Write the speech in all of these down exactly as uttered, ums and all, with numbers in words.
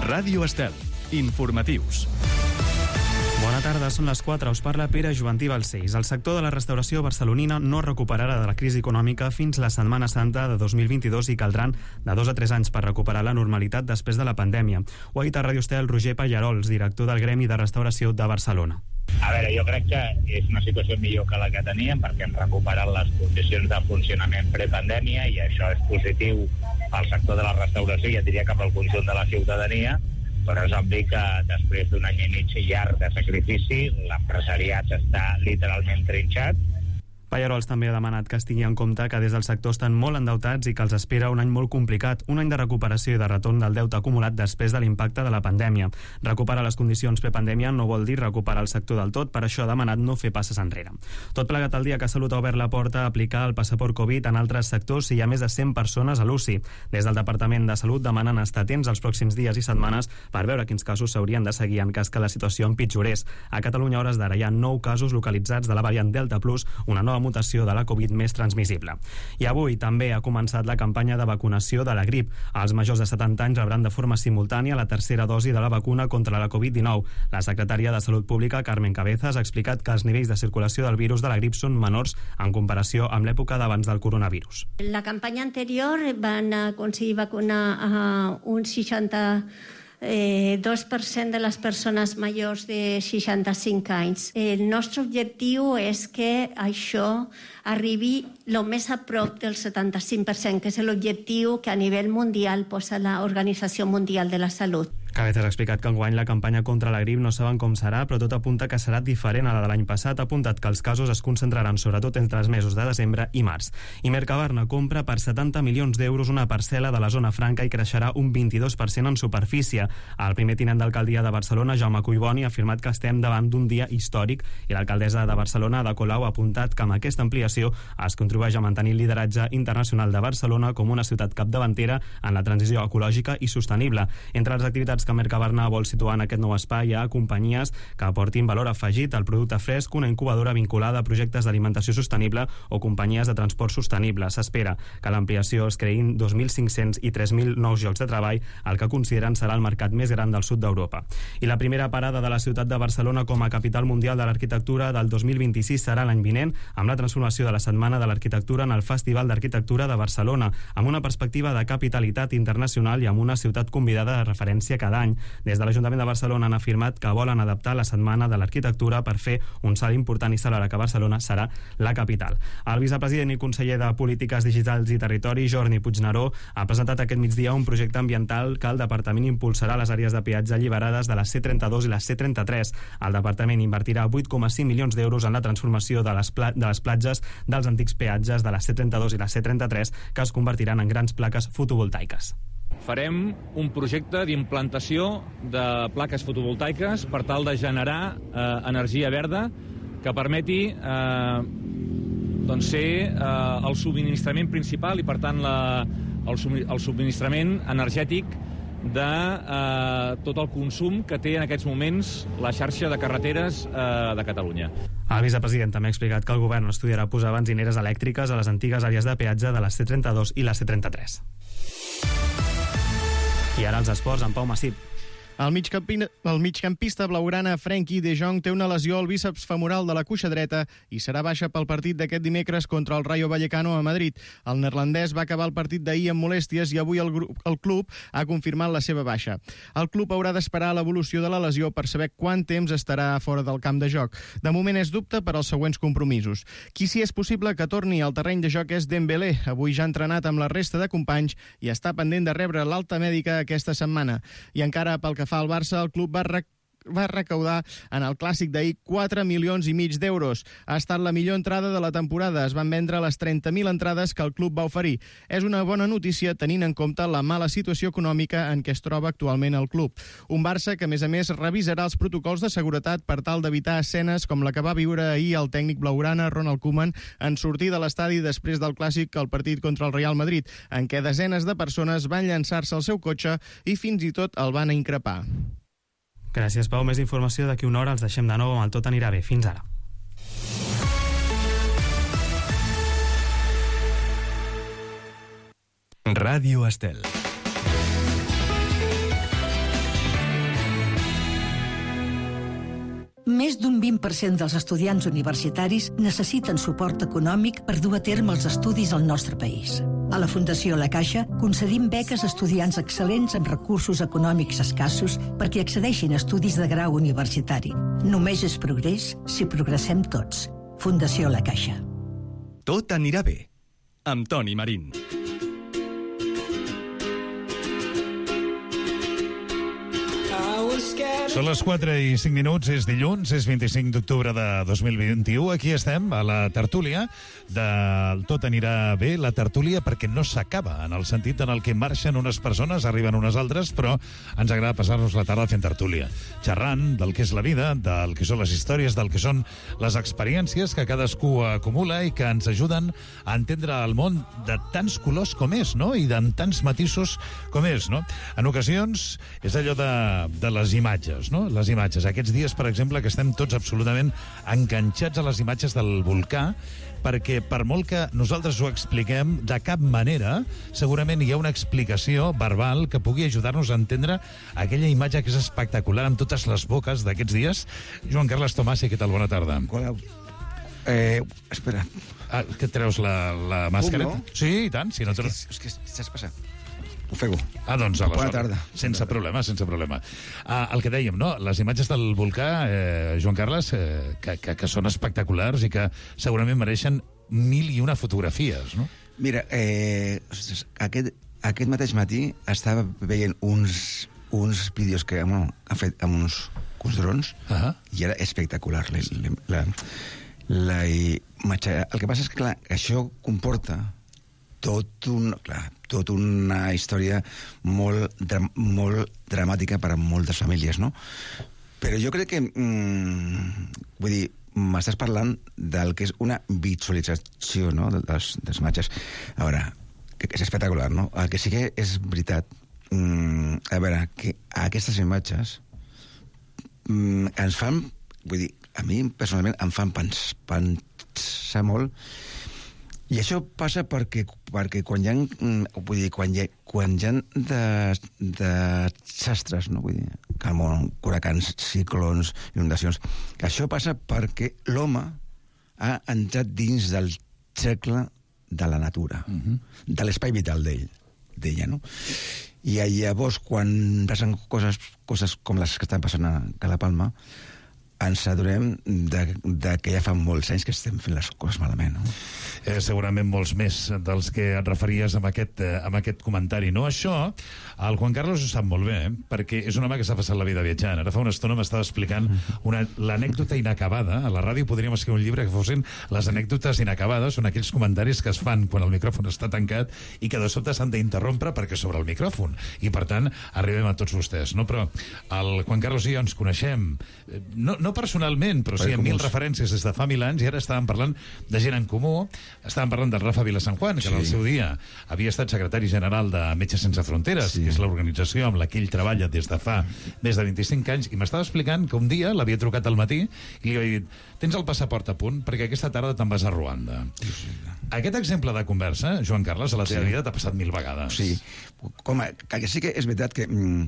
Ràdio Estel. Informatius. Bona tarda, són les quatre. Us parla Pere Joventí Balcells. El sector de la restauració barcelonina no recuperarà de la crisi econòmica fins la Setmana Santa de dos mil vint-i-dos i caldran de dos a tres anys per recuperar la normalitat després de la pandèmia. Ho ha dit a Ràdio Estel Roger Pallarols, director del Gremi de Restauració de Barcelona. A veure, jo crec que és una situació millor que la que teníem perquè hem recuperat les condicions de funcionament prepandèmia i això és positiu al sector de la restauració i ja diria cap al conjunt de la ciutadania, però és obvi que després d'un any i mig llarg de sacrifici l'empresariat està literalment trinxat. Pallarols també ha demanat que es tingui en compte que des del sector estan molt endeutats i que els espera un any molt complicat, un any de recuperació i de retorn del deute acumulat després de l'impacte de la pandèmia. Recuperar les condicions prepandèmia no vol dir recuperar el sector del tot, per això ha demanat no fer passes enrere. Tot plegat el dia que Salut ha obert la porta a aplicar el passaport Covid en altres sectors si hi ha més de cent persones a l'U C I. Des del Departament de Salut demanen estar atents els pròxims dies i setmanes per veure quins casos s'haurien de seguir en cas que la situació empitjorés. A Catalunya, a hores d'ara, hi ha nou casos localitzats de la variant Delta Plus, una nova mutació de la Covid més transmissible. I avui també ha començat la campanya de vacunació de la grip. Els majors de setanta anys rebran de forma simultània la tercera dosi de la vacuna contra la Covid dinou. La secretària de Salut Pública, Carmen Cabezas, ha explicat que els nivells de circulació del virus de la grip són menors en comparació amb l'època d'abans del coronavirus. La campanya anterior van aconseguir vacunar a un seixanta Eh, dos per cent de les persones majors de seixanta-cinc anys. El nostre objectiu és que això arribi el més a prop del setanta-cinc per cent, que és l'objectiu que a nivell mundial posa l'Organització Mundial de la Salut. Cabezas ha explicat que enguany la campanya contra la grip no saben com serà, però tot apunta que serà diferent a la de l'any passat. Ha apuntat que els casos es concentraran sobretot entre els mesos de desembre i març. I Mercabarna compra per setanta milions d'euros una parcel·la de la zona franca i creixerà un vint-i-dos per cent en superfície. El primer tinent d'alcaldia de Barcelona, Jaume Collboni, ha afirmat que estem davant d'un dia històric i l'alcaldessa de Barcelona, Ada Colau, ha apuntat que amb aquesta ampliació es contribueix a mantenir el lideratge internacional de Barcelona com una ciutat capdavantera en la transició ecològica i sostenible. Entre les activitats que Mercabarna vol situar en aquest nou espai hi ha companyies que aportin valor afegit al producte fresc, una incubadora vinculada a projectes d'alimentació sostenible o companyies de transport sostenible. S'espera que l'ampliació es creïn dos mil cinc-cents i tres mil nous llocs de treball, el que consideren serà el mercat més gran del sud d'Europa. I la primera parada de la ciutat de Barcelona com a capital mundial de l'arquitectura del dos mil vint-i-sis serà l'any vinent, amb la transformació de la Setmana de l'Arquitectura en el Festival d'Arquitectura de Barcelona, amb una perspectiva de capitalitat internacional i amb una ciutat convidada de referència cada any. Des de l'Ajuntament de Barcelona han afirmat que volen adaptar la Setmana de l'Arquitectura per fer un salt important i celebrar que Barcelona serà la capital. El vicepresident i conseller de Polítiques Digitals i Territori, Jordi Puigneró, ha presentat aquest migdia un projecte ambiental que el Departament impulsarà a les àrees de peatge alliberades de la C trenta-dos i la C trenta-tres. El Departament invertirà vuit coma cinc milions d'euros en la transformació de les, pla de les platges dels antics peatges de la C trenta-dos i la C trenta-tres, que es convertiran en grans plaques fotovoltaiques. Farem un projecte d'implantació de plaques fotovoltaiques per tal de generar eh, energia verda que permeti eh, doncs ser eh, el subministrament principal i, per tant, la, el, el subministrament energètic de eh, tot el consum que té en aquests moments la xarxa de carreteres eh, de Catalunya. El vicepresident també ha explicat que el govern estudiarà posar benzineres elèctriques a les antigues àrees de peatge de la C trenta-dos i la C trenta-tres. I ara els esports amb Pau Massip. El, migcampi... el migcampista blaugrana Frenkie de Jong té una lesió al bíceps femoral de la cuixa dreta i serà baixa pel partit d'aquest dimecres contra el Rayo Vallecano a Madrid. El neerlandès va acabar el partit d'ahir amb molèsties i avui el, grup... el club ha confirmat la seva baixa. El club haurà d'esperar l'evolució de la lesió per saber quant temps estarà fora del camp de joc. De moment és dubte per als següents compromisos. Qui sí és possible que torni al terreny de joc és Dembélé. Avui ja ha entrenat amb la resta de companys i està pendent de rebre l'alta mèdica aquesta setmana. I encara pel que fa al Barça, el club va rec va recaudar en el clàssic d'ahir quatre milions i mig d'euros. Ha estat la millor entrada de la temporada. Es van vendre les trenta mil entrades que el club va oferir. És una bona notícia tenint en compte la mala situació econòmica en què es troba actualment el club. Un Barça que, a més a més, revisarà els protocols de seguretat per tal d'evitar escenes com la que va viure ahir el tècnic blaugrana Ronald Koeman en sortir de l'estadi després del clàssic al partit contra el Real Madrid, en què desenes de persones van llançar-se al seu cotxe i fins i tot el van increpar. Gràcies, Pau. Més informació d'aquí una hora. Els deixem de nou amb el Tot anirà bé. Fins ara. Ràdio Estel. Més d'un vint per cent dels estudiants universitaris necessiten suport econòmic per dur a terme els estudis al nostre país. A la Fundació La Caixa concedim beques a estudiants excel·lents amb recursos econòmics escassos perquè accedeixin a estudis de grau universitari. Només és progrés si progressem tots. Fundació La Caixa. Tot anirà bé, amb Toni Marín. Són les quatre i cinc minuts, és dilluns, és vint-i-cinc d'octubre de dos mil vint-i-u. Aquí estem, a la tertúlia del Tot anirà bé, la tertúlia perquè no s'acaba, en el sentit en el que marxen unes persones, arriben unes altres, però ens agrada passar-nos la tarda fent tertúlia, xerrant del que és la vida, del que són les històries, del que són les experiències que cadascú acumula i que ens ajuden a entendre el món de tants colors com és, no?, i de tants matisos com és, no? En ocasions és allò de, de les imatges, no? Les imatges. Aquests dies, per exemple, que estem tots absolutament enganxats a les imatges del volcà, perquè per molt que nosaltres ho expliquem, de cap manera segurament hi ha una explicació verbal que pugui ajudar-nos a entendre aquella imatge que és espectacular amb totes les boques d'aquests dies. Joan Carles Tomàs, què tal? Bona tarda. Hola. Eh, espera. Ah, que et treus la, la màscara? no? Sí, i tant. Si no és, que, és que saps passar. Ofego. Ah, doncs aleshores. Bona tarda. Sense problema, sense problema. Ah, el que dèiem, no? Les imatges del volcà, eh, Joan Carles, eh, que, que, que són espectaculars i que segurament mereixen mil i una fotografies, no? Mira, eh, aquest, aquest mateix matí estava veient uns, uns vídeos que bueno, han fet amb uns, uns drons uh-huh. i era espectacular. La, la, la imatge. El que passa és que, clar, això comporta tot un, clar, tot una història molt, dra molt dramàtica per a moltes famílies, no? Però jo crec que, mm, vull dir, m'estàs parlant del que és una visualització, no?, dels, dels imatges. A veure, que, que és espectacular, no? El que sí que és veritat, mm, a veure, que aquestes imatges mm, ens fan, vull dir, a mi personalment em fan pens pensar molt. I això passa perquè, perquè quan hi ha, vull dir, quan hi ha, quan hi ha de, de desastres, no? Vull dir, que el món, huracans, ciclons, inundacions, això passa perquè l'home ha entrat dins del cercle de la natura, uh-huh. de l'espai vital d'ell, d'ella, no? I llavors, quan passen coses, coses com les que estan passant a Calapalma, ens adonem de, de que ja fa molts anys que estem fent les coses malament, no? Eh, segurament molts més dels que et referies amb aquest, eh, amb aquest comentari, no? Això, el Juan Carlos ho sap molt bé, eh? Perquè és un home que s'ha passat la vida viatjant. Ara fa una estona m'estava explicant l'anècdota inacabada. A la ràdio podríem escriure un llibre que fossin les anècdotes inacabades, són aquells comentaris que es fan quan el micròfon està tancat i que de sobte s'han d'interrompre perquè sobre el micròfon. I, per tant, arribem a tots vostès, no? Però el Juan Carlos i jo ens coneixem, no, no personalment, però sí, amb mil referències des de fa mil anys, i ara estàvem parlant de gent en comú. Estàvem parlant del Rafa Vilasanjuan, que sí. en el seu dia havia estat secretari general de Metges Sense Fronteres, sí. que és l'organització amb la que ell treballa des de fa més de vint-i-cinc anys, i m'estava explicant que un dia l'havia trucat al matí i li havia dit: tens el passaport a punt perquè aquesta tarda te'n vas a Ruanda. Sí, sí. Aquest exemple de conversa, Joan Carles, a la teva sí. vida t'ha passat mil vegades. Sí, com a, que sí que és veritat que, mm,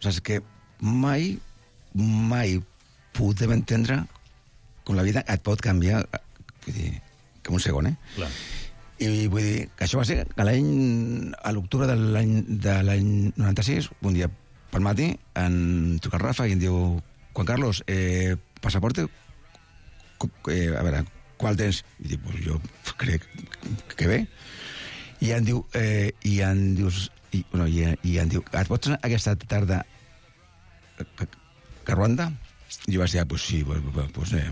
saps, que mai, mai podem entendre com la vida et pot canviar, vull dir, com un segon, eh? Clar. I vull dir que això va ser que l'any, a l'octubre de l'any de l'any noranta-sis, un dia pel matí, en truca el Rafa i em diu: Juan Carlos, eh, passaporte, eh, a veure, qual tens? I dic, pues jo crec que bé. I em diu, eh, i em dius, i, bueno, i, i em diu, et pots anar aquesta tarda a, a Ruanda? I jo vaig dir, ah, pues sí, pues, pues eh,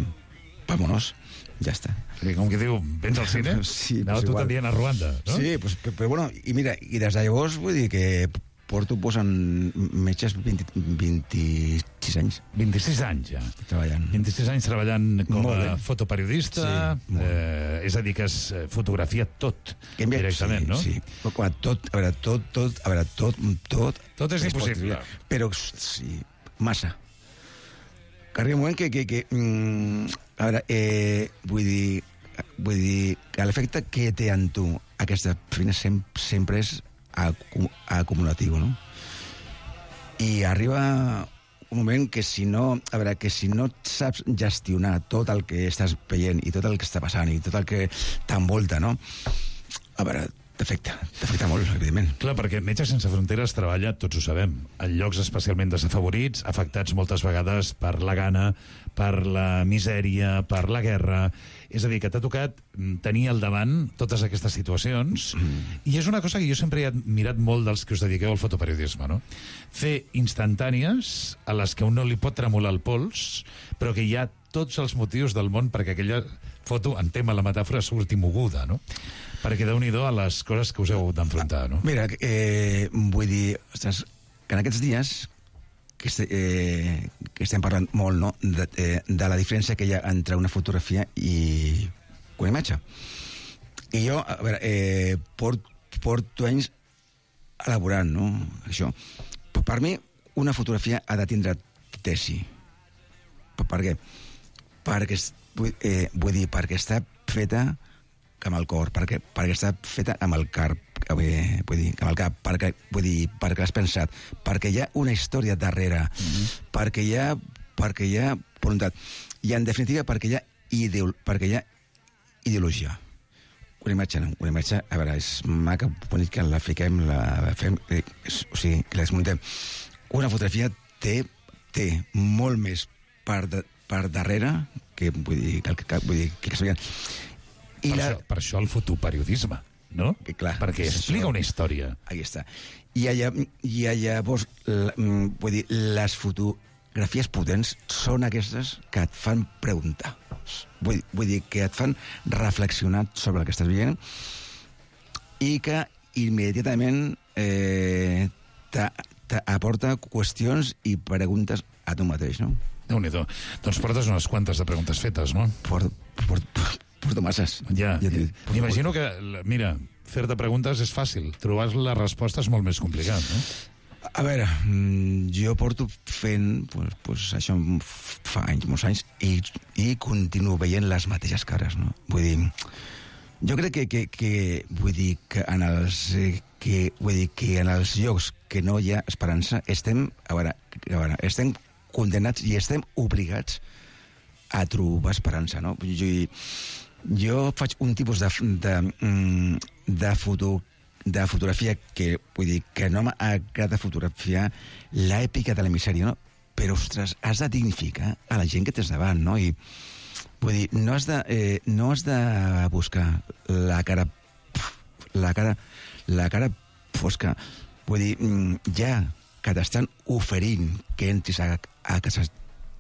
vámonos, ja està. Sí, com que diu, vens al cine? Sí, anava pues tu també a Ruanda, no? Sí, pues, però, però bueno, i mira, i des de llavors vull dir que porto posant metges vint, vint-i-sis anys. vint-i-sis anys, ja. Treballant. vint-i-sis anys treballant com a fotoperiodista, sí, eh, és a dir, que es fotografia tot, envia, directament, sí, no? Sí, però tot, a veure, tot, tot, a veure, tot, tot... Tot és impossible. Però, sí, massa. Que arriba un moment que, que, que mm, a veure, eh, vull dir, vull dir que l'efecte que té en tu aquesta feina sempre, sempre és acumulatiu, no? I arriba un moment que si no, a veure, que si no saps gestionar tot el que estàs veient i tot el que està passant i tot el que t'envolta, no? A veure, t'afecta, t'afecta molt, evidentment. Clar, perquè Metges Sense Fronteres treballa, tots ho sabem, en llocs especialment desafavorits, afectats moltes vegades per la gana, per la misèria, per la guerra. És a dir, que t'ha tocat tenir al davant totes aquestes situacions, mm. i és una cosa que jo sempre he admirat molt dels que us dediqueu al fotoperiodisme, no? Fer instantànies a les que un no li pot tremolar el pols, però que hi ha tots els motius del món perquè aquella foto, en tema la metàfora, surti moguda, no? Perquè déu-n'hi-do a les coses que us heu d'enfrontar, no? Mira, eh, vull dir, ostres, que en aquests dies que, este, eh, que estem parlant molt, no?, de, eh, de la diferència que hi ha entre una fotografia i una imatge. I jo, a veure, eh, port, porto anys elaborant, no?, això. Per mi, una fotografia ha de tindre tesi. Per, per què? Perquè, eh, vull dir, perquè està feta amb el cor, perquè, perquè està feta amb el cap, eh, vull dir, amb el cap, perquè, vull dir, perquè l'has pensat, perquè hi ha una història darrere, mm-hmm. perquè hi ha, perquè hi ha voluntat, i en definitiva perquè hi ha, ideol, perquè hi ha ideologia. Una imatge, no? Una imatge, a veure, és maca, bonic que la fiquem, la fem, és, o sigui, que la desmuntem. Una fotografia té, té molt més per, de, per darrere que, vull dir, que, que, vull dir, que, que s'havien... Per, la... això, per això el fotoperiodisme, no? Que, clar, perquè explica una història. Aquí està. I allà, i llavors, la, vull dir, les fotografies potents són aquestes que et fan preguntar. Vull, vull dir, que et fan reflexionar sobre el que estàs veient i que immediatament eh, t'aporta qüestions i preguntes a tu mateix, no? Déu-n'hi-do. Doncs portes unes quantes de preguntes fetes, no? Porto, porto, porto masses. Ja, ja m'imagino que, mira, fer-te preguntes és fàcil, trobar les respostes és molt més complicat, no? A veure, jo porto fent, pues, pues, això fa anys, molts anys, i, i continuo veient les mateixes cares, no? Vull dir, jo crec que, que, que vull dir que en els que, vull dir que en els llocs que no hi ha esperança estem, a veure, a veure, estem condenats i estem obligats a trobar esperança, no? Jo, jo faig un tipus de, de, de, foto, de fotografia que, vull dir, que no m'agrada fotografiar l'èpica de la misèria, no? Però, ostres, has de dignificar a la gent que tens davant, no? I, vull dir, no has de, eh, no has de buscar la cara, la cara, la cara fosca. Vull dir, ja que t'estan oferint que entris a, a casa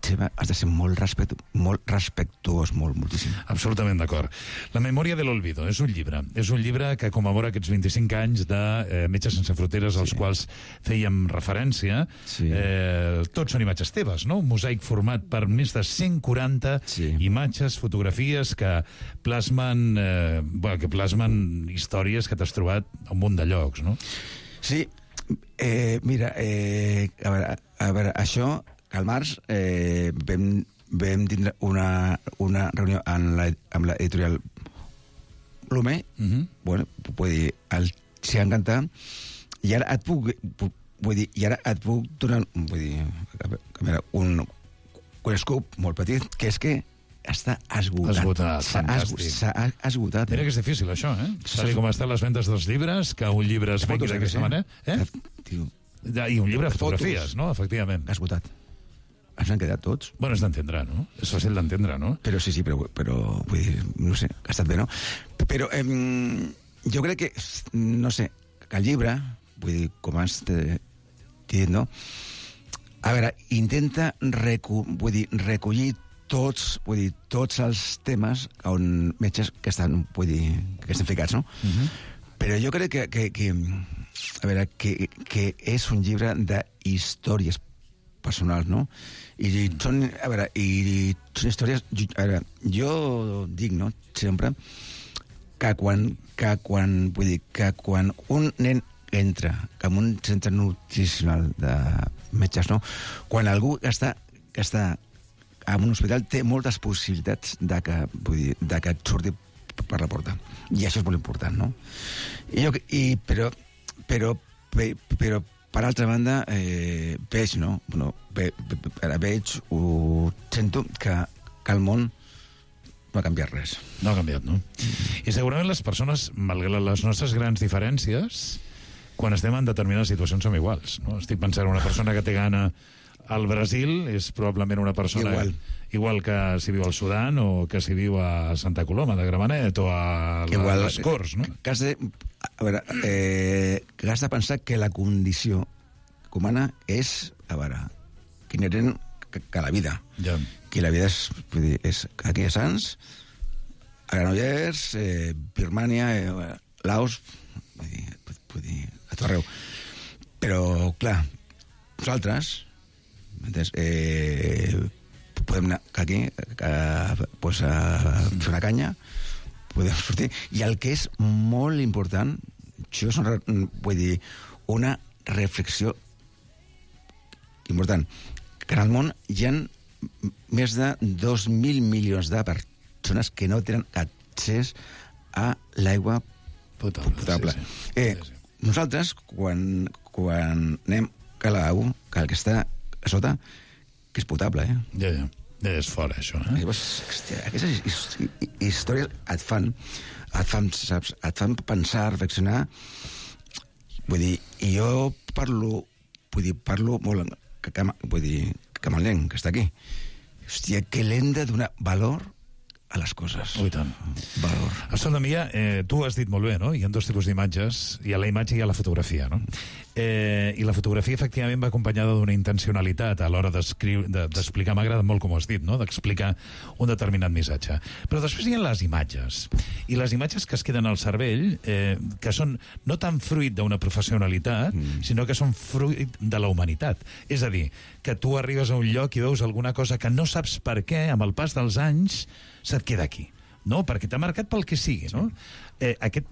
seva, has de ser molt, respectu molt respectuós, molt, moltíssim. Absolutament d'acord. La memòria de l'olvido és un llibre. És un llibre que commemora aquests vint-i-cinc anys de eh, Metges Sense Fronteres, als sí. quals fèiem referència. Sí. Eh, tots són imatges teves, no? Un mosaic format per més de cent quaranta sí. imatges, fotografies que plasmen, eh, bueno, que plasmen històries que t'has trobat a un munt de llocs, no? Sí. Eh, mira, eh, a, veure, a veure, això, al març eh, vam, vam tindre una, una reunió amb la, amb l'editorial Lume, uh -huh. bueno, vull dir, el s'hi ha encantat, i ara et puc, puc, vull dir, i ara et puc donar, vull dir, a veure, un, un scoop molt petit, que és que està esgotat. Esgotat, fantàstic. S'ha esgotat. Mira que és difícil, això, eh? Tal com estan les vendes dels llibres, que un llibre es vengui d'aquesta manera. Eh? I un llibre de fotografies, no? Efectivament. Esgotat. Ens han quedat tots. Bueno, és d'entendre, no? És fàcil d'entendre, no? Però sí, sí, però, però vull dir, no sé, ha estat bé, no? Però eh, jo crec que, no sé, que el llibre, vull dir, com has dit, no? A veure, intenta recu vull dir, recollir tots, vull dir, tots els temes on metges que estan, vull dir, que estan ficats, no? Uh-huh. Però jo crec que, que, que a veure, que, que és un llibre d'històries personals, no? I són, a veure, i són històries, a veure, jo dic, no?, sempre, que quan, que quan, vull dir, que quan un nen entra en un centre nutricional de metges, no?, quan algú està, que està en un hospital té moltes possibilitats de que, vull dir, de que et surti per la porta. I això és molt important, no? I jo, i, però, però, però, per altra banda, eh, veig, no? Bueno, ve, ve, veig, ho sento, que, que el món no ha canviat res. No ha canviat, no? I segurament les persones, malgrat les nostres grans diferències, quan estem en determinades situacions som iguals, no? Estic pensant en una persona que té gana al Brasil, és probablement una persona igual, igual que si viu al Sudan o que si viu a Santa Coloma de Gramenet o a igual, les Corts, no? Que has de, a veure, eh, que has de pensar que la condició humana és, a veure, que inherent que, que la vida. Ja. Que la vida és, vull dir, és aquí a Sants, a Granollers, eh, Birmània, eh, Laos, vull dir, vull dir, a tot arreu. Però, clar, nosaltres, eh, podem anar aquí a, pues a fer una canya, podem sortir, i el que és molt important, això és una, vull dir, una reflexió important, que en el món hi ha més de dos mil milions de persones que no tenen accés a l'aigua potable. potable. Sí, sí. Eh, sí, sí. Nosaltres, quan, quan anem a l'aigua, que el que està a sota, que és potable, eh? Ja, ja. Ja és fora, això, eh? Hòstia, aquestes històries et fan, et fan, saps, et fan pensar, reflexionar. Vull dir, i jo parlo, vull dir, parlo molt, que, que, vull dir, que amb el nen que està aquí. Hòstia, que l'hem de donar valor a les coses. Oh, i tant. Valor. Escolta, Mia, eh, tu has dit molt bé, no? Hi ha dos tipus d'imatges. Hi ha la imatge i hi ha la fotografia, no? Eh, I la fotografia, efectivament, va acompanyada d'una intencionalitat a l'hora d'explicar. M'ha agradat molt com ho has dit, no? D'explicar un determinat missatge. Però després hi ha les imatges. I les imatges que es queden al cervell, eh, que són no tan fruit d'una professionalitat, mm. sinó que són fruit de la humanitat. És a dir, que tu arribes a un lloc i veus alguna cosa que no saps per què, amb el pas dels anys, se't queda aquí, no? Perquè t'ha marcat pel que sigui, no? Eh, aquest,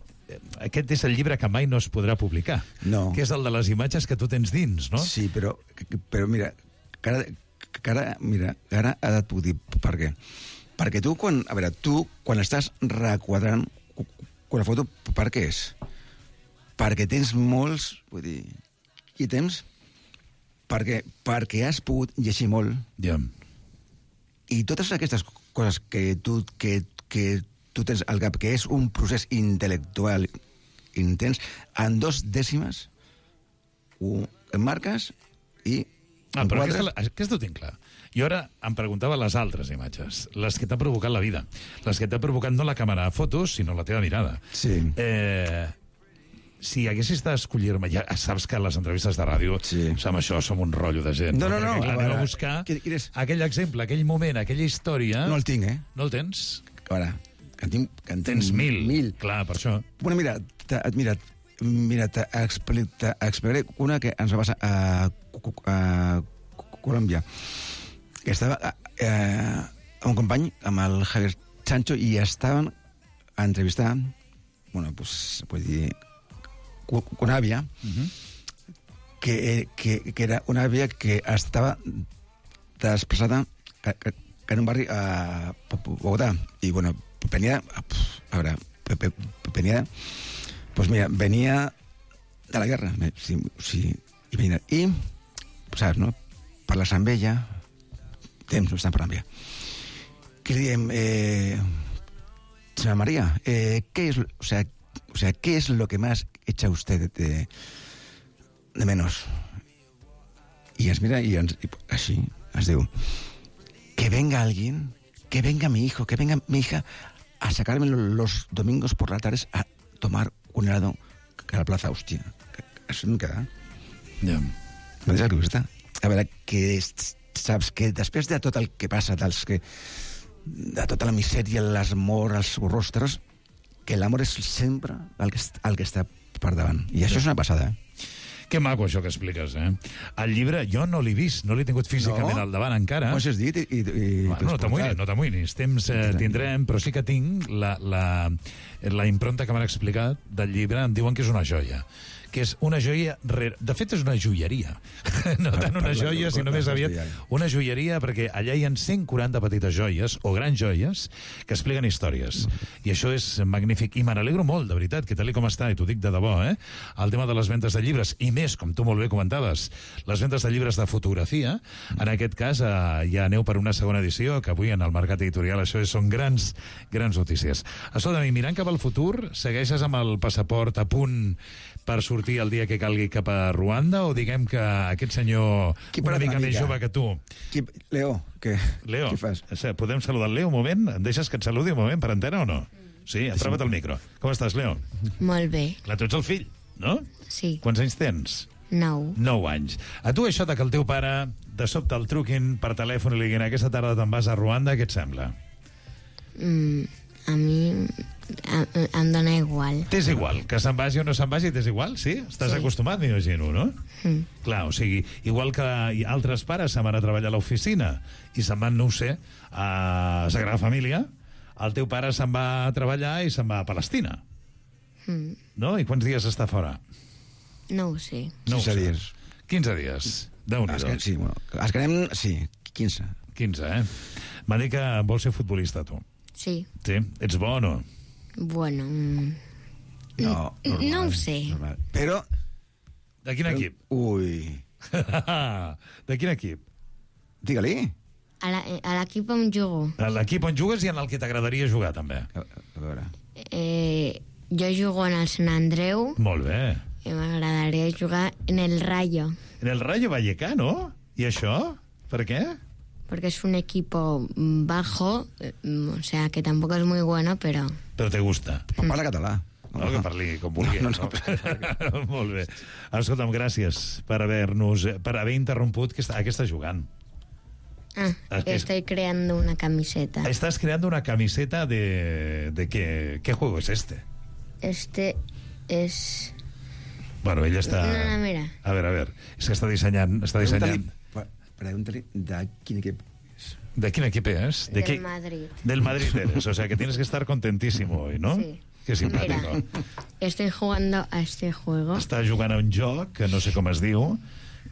aquest és el llibre que mai no es podrà publicar, no. Que és el de les imatges que tu tens dins, no? Sí, però, però mira, que ara, que ara, mira, ara ha de t'ho dir per què. Perquè tu, quan, a veure, tu, quan estàs requadrant una foto, per què és? Perquè tens molts, vull dir, i temps, perquè, perquè has pogut llegir molt, ja. I totes aquestes coses que tu, que, que tu tens al cap, que és un procés intel·lectual intens, en dos dècimes ho marques i ah, però aquesta, aquesta ho tinc clar. Jo ara em preguntava les altres imatges, les que t'ha provocat la vida, les que t'ha provocat no la càmera de fotos, sinó la teva mirada. Sí. Eh, si haguessis d'escollir-me, ja saps que les entrevistes de ràdio, sí. Amb això som un rotllo de gent. No, no, no. Clar, anem a buscar aquell exemple, aquell moment, aquella història... No el tinc, eh? No el tens? A veure, que en tinc... Que en tens mil. Mil. Clar, per això. Bueno, mira, mira, mira t'explicaré una que ens va passar a, a Colòmbia. Que estava eh, amb un company, amb el Javier Sancho, i estaven a entrevistar, bueno, pues, vull dir, una àvia, uh-huh. que, que, que era una àvia que estava desplaçada que, que, que en un barri a Bogotà. I, bueno, venia... A veure, venia... Pues mira, venia de la guerra. Sí, sí, i, venia, i, saps, no? Parles amb ella, temps, no estan parlant amb ella. Que li diem, eh, senyora María, eh, ¿qué es, o sea, o sea, ¿qué es lo que más echa usted de, de menos? Y ens mira y ens, y así, ens diu, que venga alguien, que venga mi hijo, que venga mi hija a sacarme los domingos por la tarde a tomar un helado a la plaza, hòstia. Això no queda. Ja. No és el que està. A veure, que saps que després de tot el que passa, dels que, de tota la misèria, l'esmor, els rostres, que l'amor és sempre el que, el que està per davant. I això és una passada, eh? Que maco, això que expliques, eh? El llibre jo no l'he vist, no l'he tingut físicament no? al davant encara. Ho has dit i... i, i bueno, no t'amoïnis, no t'amoïnis. Temps eh, tindrem, però sí que tinc la, la, la impronta que m'han explicat del llibre. Em diuen que és una joia, que és una joia... Re... De fet, és una joieria. No tant una joia, sinó més aviat una joieria, perquè allà hi ha cent quaranta petites joies, o grans joies, que expliquen històries. I això és magnífic. I me n'alegro molt, de veritat, que tal com està, i t'ho dic de debò, eh? El tema de les ventes de llibres, i més, com tu molt bé comentaves, les ventes de llibres de fotografia, en aquest cas eh, ja aneu per una segona edició, que avui en el mercat editorial això és, són grans, grans notícies. Escolta, mirant cap al futur, segueixes amb el passaport a punt per sortir el dia que calgui cap a Ruanda, o diguem que aquest senyor Qui una mica una més mica? jove que tu... Qui... Leo, què? Leo, Què fas? podem saludar el Leo un moment? Em deixes que et saludi un moment per antena o no? Sí, apropa't al micro. Com estàs, Leo? Molt bé, Clar, tu ets el fill, no? sí, Quants anys tens? nou. Nou anys. A tu això de que el teu pare de sobte el truquin per telèfon i li diguin aquesta tarda te'n vas a Ruanda, què et sembla? Mm, a mi a, em dóna igual. T'és igual, que se'n vagi o no se'n vagi, t'és igual, sí? Estàs Sí. acostumat, m'imagino, no? Mm. Clar, o sigui, igual que altres pares se'n van a treballar a l'oficina i se'n van, no ho sé, a Sagrada Família, el teu pare se'n va a treballar i se'n va a Palestina, Mm. no? I quants dies està fora? No ho sé. No ho quinze sé. dies. quinze dies. Déu-n'hi-do. Es que- Sí, bueno, es quedem... Sí, quinze. quinze, eh? M'ha dit que vols ser futbolista, tu. Sí, Sí? Ets bo o no? bueno... mm, No, Mm, normal, no ho sé. Normal. Però... De quin equip? Ui... De quin equip? Digue-li. A la- a l'equip on jugo, A l'equip on jugues i en el que t'agradaria jugar, també. A, a veure... eh, jo jugo en el Sant Andreu Molt bé. i m'agradaria jugar en el Rayo, En el Rayo Vallecano? I això? Per què? porque es un equipo bajo, eh, o sea que tampoco es muy bueno, pero... Però te gusta. Parla català. No, que parli com vulgui. No, No, no, no. Molt bé. Escolta'm, gràcies per haver-nos... per haver interromput que està, ah, que està jugant. Ah, Es que es- estoy creando una camiseta. Estás creando una camiseta de... ¿De qué? ¿Qué juego es este? Este es... Bueno, ella està... No, no, mira. A veure, a veure. És que està dissenyant... Està dissenyant... Pregunta-li de quin equip és. ¿De quién equipo es? ¿De Del qué? Madrid. Del Madrid eres, o sea que tienes que estar contentísimo hoy, ¿no? Sí. Qué simpático. Mira, estoy jugando a este juego Està jugant a un joc que no sé com es diu,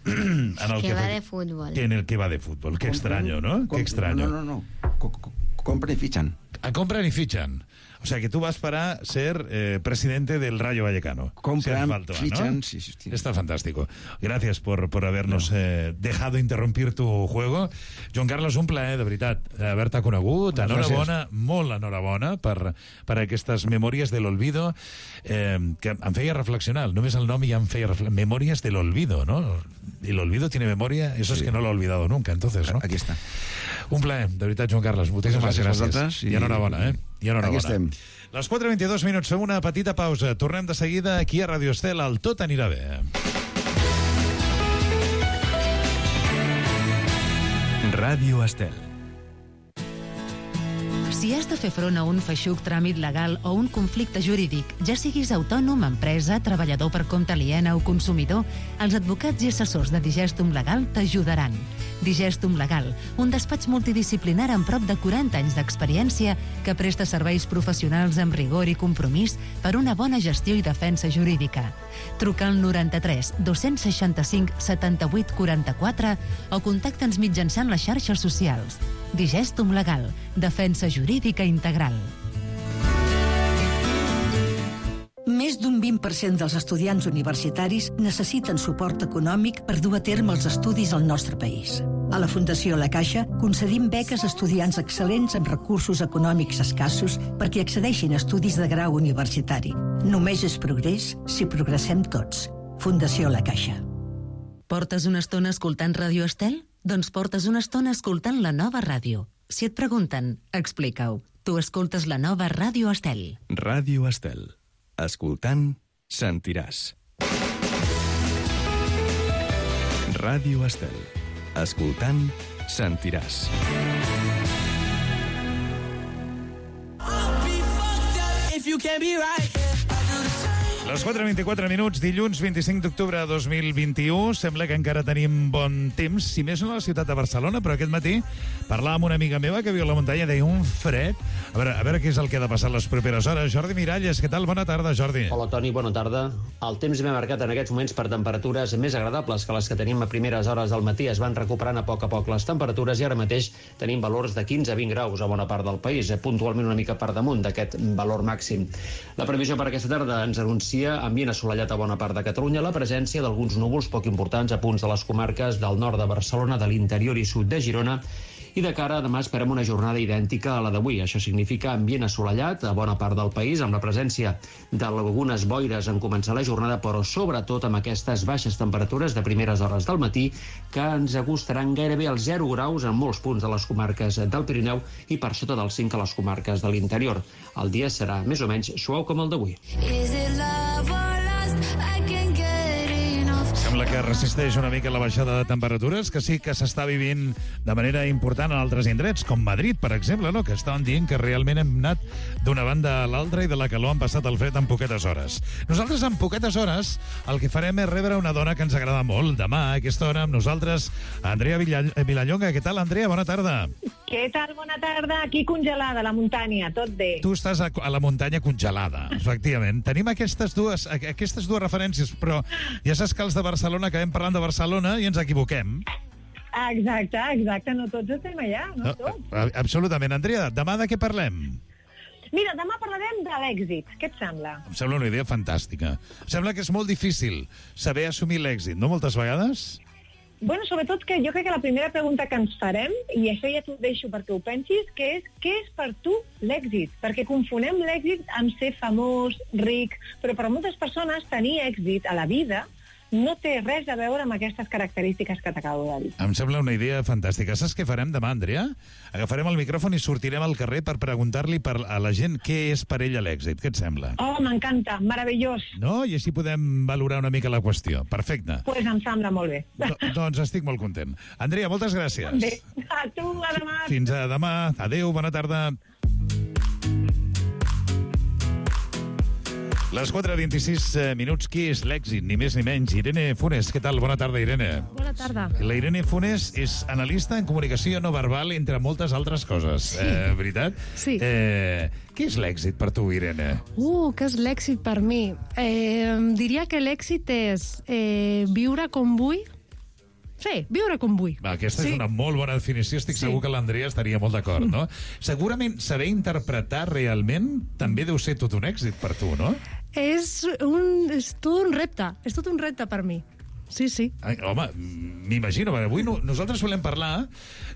en el que que, va fa- de fútbol. que en el que va de fútbol. Qué extraño, ¿no? Com- Qué extraño. No, no, no. Co- co- Compren i fitxen. A compran y fichan. O sea que tú vas para ser eh, presidente del Rayo Vallecano. Compran, Si hace falta, fichan, ¿no? sí, sí, sí. Está fantástico. Gracias por, por habernos eh, dejado interrumpir tu juego. Joan Carlos, un plaer, de veritat, haver-te conegut. Moltes Enhorabona, molt enhorabona per, per aquestes memòries de l'olvido eh, que em feia reflexionar. Només el nom ja em feia reflexionar. Memòries de l'olvido, ¿no? Y el olvido tiene memoria, eso sí. Es que no lo ha olvidado nunca, entonces, ¿no? Aquí està. Un plaer, de veritat, Joan Carles. Moltíssimes Gràcies a gràcies. vosaltres I i- enhorabona, eh? I enhorabona. Aquí estem. Les quatre i vint-i-dos minuts, fem una petita pausa. Tornem de seguida aquí a Radio Estel, el Tot anirà bé. Ràdio Estel. Si has de fer front a un feixuc tràmit legal o un conflicte jurídic, ja siguis autònom, empresa, treballador per compte aliena o consumidor, els advocats i assessors de Digestum Legal t'ajudaran. Digestum Legal, un despatx multidisciplinar amb prop de quaranta anys d'experiència que presta serveis professionals amb rigor i compromís per una bona gestió i defensa jurídica. Truca al noranta-tres dos-cents seixanta-cinc setanta-vuit quaranta-quatre o contacta'ns mitjançant les xarxes socials. Digestum Legal, defensa jurídica integral. Més d'un vint per cent dels estudiants universitaris necessiten suport econòmic per dur a terme els estudis al nostre país. A la Fundació La Caixa concedim beques a estudiants excel·lents amb recursos econòmics escassos perquè accedeixin a estudis de grau universitari. Només és progrés si progressem tots. Fundació La Caixa. Portes una estona escoltant Ràdio Estel? Doncs portes una estona escoltant la nova ràdio. Si et pregunten, explica-ho. Tu escoltes la nova Ràdio Estel. Ràdio Estel. Escoltant, sentiràs. Ràdio Estel. Escoltant, sentiràs. Les quatre vint-i-quatre minuts, dilluns vint-i-cinc d'octubre de dos mil vint-i-u. Sembla que encara tenim bon temps, si més no a la ciutat de Barcelona, però aquest matí parlàvem amb una amiga meva que viu a la muntanya, deia un fred. A veure, a veure què és el que ha de passar les properes hores. Jordi Miralles, què tal? Bona tarda, Jordi. Hola, Toni, bona tarda. El temps ve marcat en aquests moments per temperatures més agradables que les que tenim a primeres hores del matí. Es van recuperant a poc a poc les temperatures i ara mateix tenim valors de quinze a vint graus a bona part del país, puntualment una mica per damunt d'aquest valor màxim. La previsió per aquesta tarda ens anuncia ambient assolellat a bona part de Catalunya, la presència d'alguns núvols poc importants a punts de les comarques del nord de Barcelona, de l'interior i sud de Girona, i de cara a demà esperem una jornada idèntica a la d'avui. Això significa ambient assolellat a bona part del país, amb la presència d'algunes boires en començar la jornada, però sobretot amb aquestes baixes temperatures de primeres hores del matí que ens acostaran gairebé als zero graus en molts punts de les comarques del Pirineu i per sota dels cinc a les comarques de l'interior. El dia serà més o menys suau com el d'avui. Sembla que resisteix una mica la baixada de temperatures, que sí que s'està vivint de manera important en altres indrets, com Madrid, per exemple, no? Que estaven dient que realment hem anat d'una banda a l'altra i de la calor han passat el fred en poquetes hores. Nosaltres, en poquetes hores, el que farem és rebre una dona que ens agrada molt. Demà, a aquesta hora, amb nosaltres, Andrea Vilallonga. Què tal, Andrea? Bona tarda. Què tal? Bona tarda. Aquí congelada, a la muntanya. Tot bé. Tu estàs a, a la muntanya congelada, efectivament. Tenim aquestes dues, aquestes dues referències, però ja saps que els de Barcelona acabem parlant de Barcelona i ens equivoquem. Exacte, exacte. No tots estem allà, no, no tots. Absolutament. Andrea, demà de què parlem? Mira, demà parlarem de l'èxit. Què et sembla? Em sembla una idea fantàstica. Em sembla que és molt difícil saber assumir l'èxit, no moltes vegades? Bueno, sobretot que jo crec que la primera pregunta que ens farem, i això ja t'ho deixo perquè ho pensis, que és què és per tu l'èxit? Perquè confonem l'èxit amb ser famós, ric, però per a moltes persones tenir èxit a la vida no té res a veure amb aquestes característiques que t'acabo de dir. Em sembla una idea fantàstica. Saps què farem demà, Andrea? Agafarem el micròfon i sortirem al carrer per preguntar-li per a la gent què és per ella l'èxit. Què et sembla? Oh, m'encanta, meravellós. No? I així podem valorar una mica la qüestió. Perfecte. Doncs pues em sembla molt bé. Do doncs estic molt content. Andrea, moltes gràcies. Bé, a tu, a demà. Fins a demà. Adéu, bona tarda. Les quatre vint-i-sis minuts, qui és l'èxit? Ni més ni menys. Irene Funes, què tal? Bona tarda, Irene. Bona tarda. La Irene Funes és analista en comunicació no verbal, entre moltes altres coses. Sí. Eh, veritat? Sí. Eh, què és l'èxit per tu, Irene? Uh, què és l'èxit per mi? Eh, diria que l'èxit és eh, viure com vull. Sí, viure com vull. Va, aquesta sí. és una molt bona definició. Estic sí. segur que l'Andrea estaria molt d'acord, no? Segurament saber interpretar realment també deu ser tot un èxit per tu, no? És, un, és tot un repte. És tot un repte per mi. Sí, sí. Ai, home, m'imagino. Avui no, nosaltres volem parlar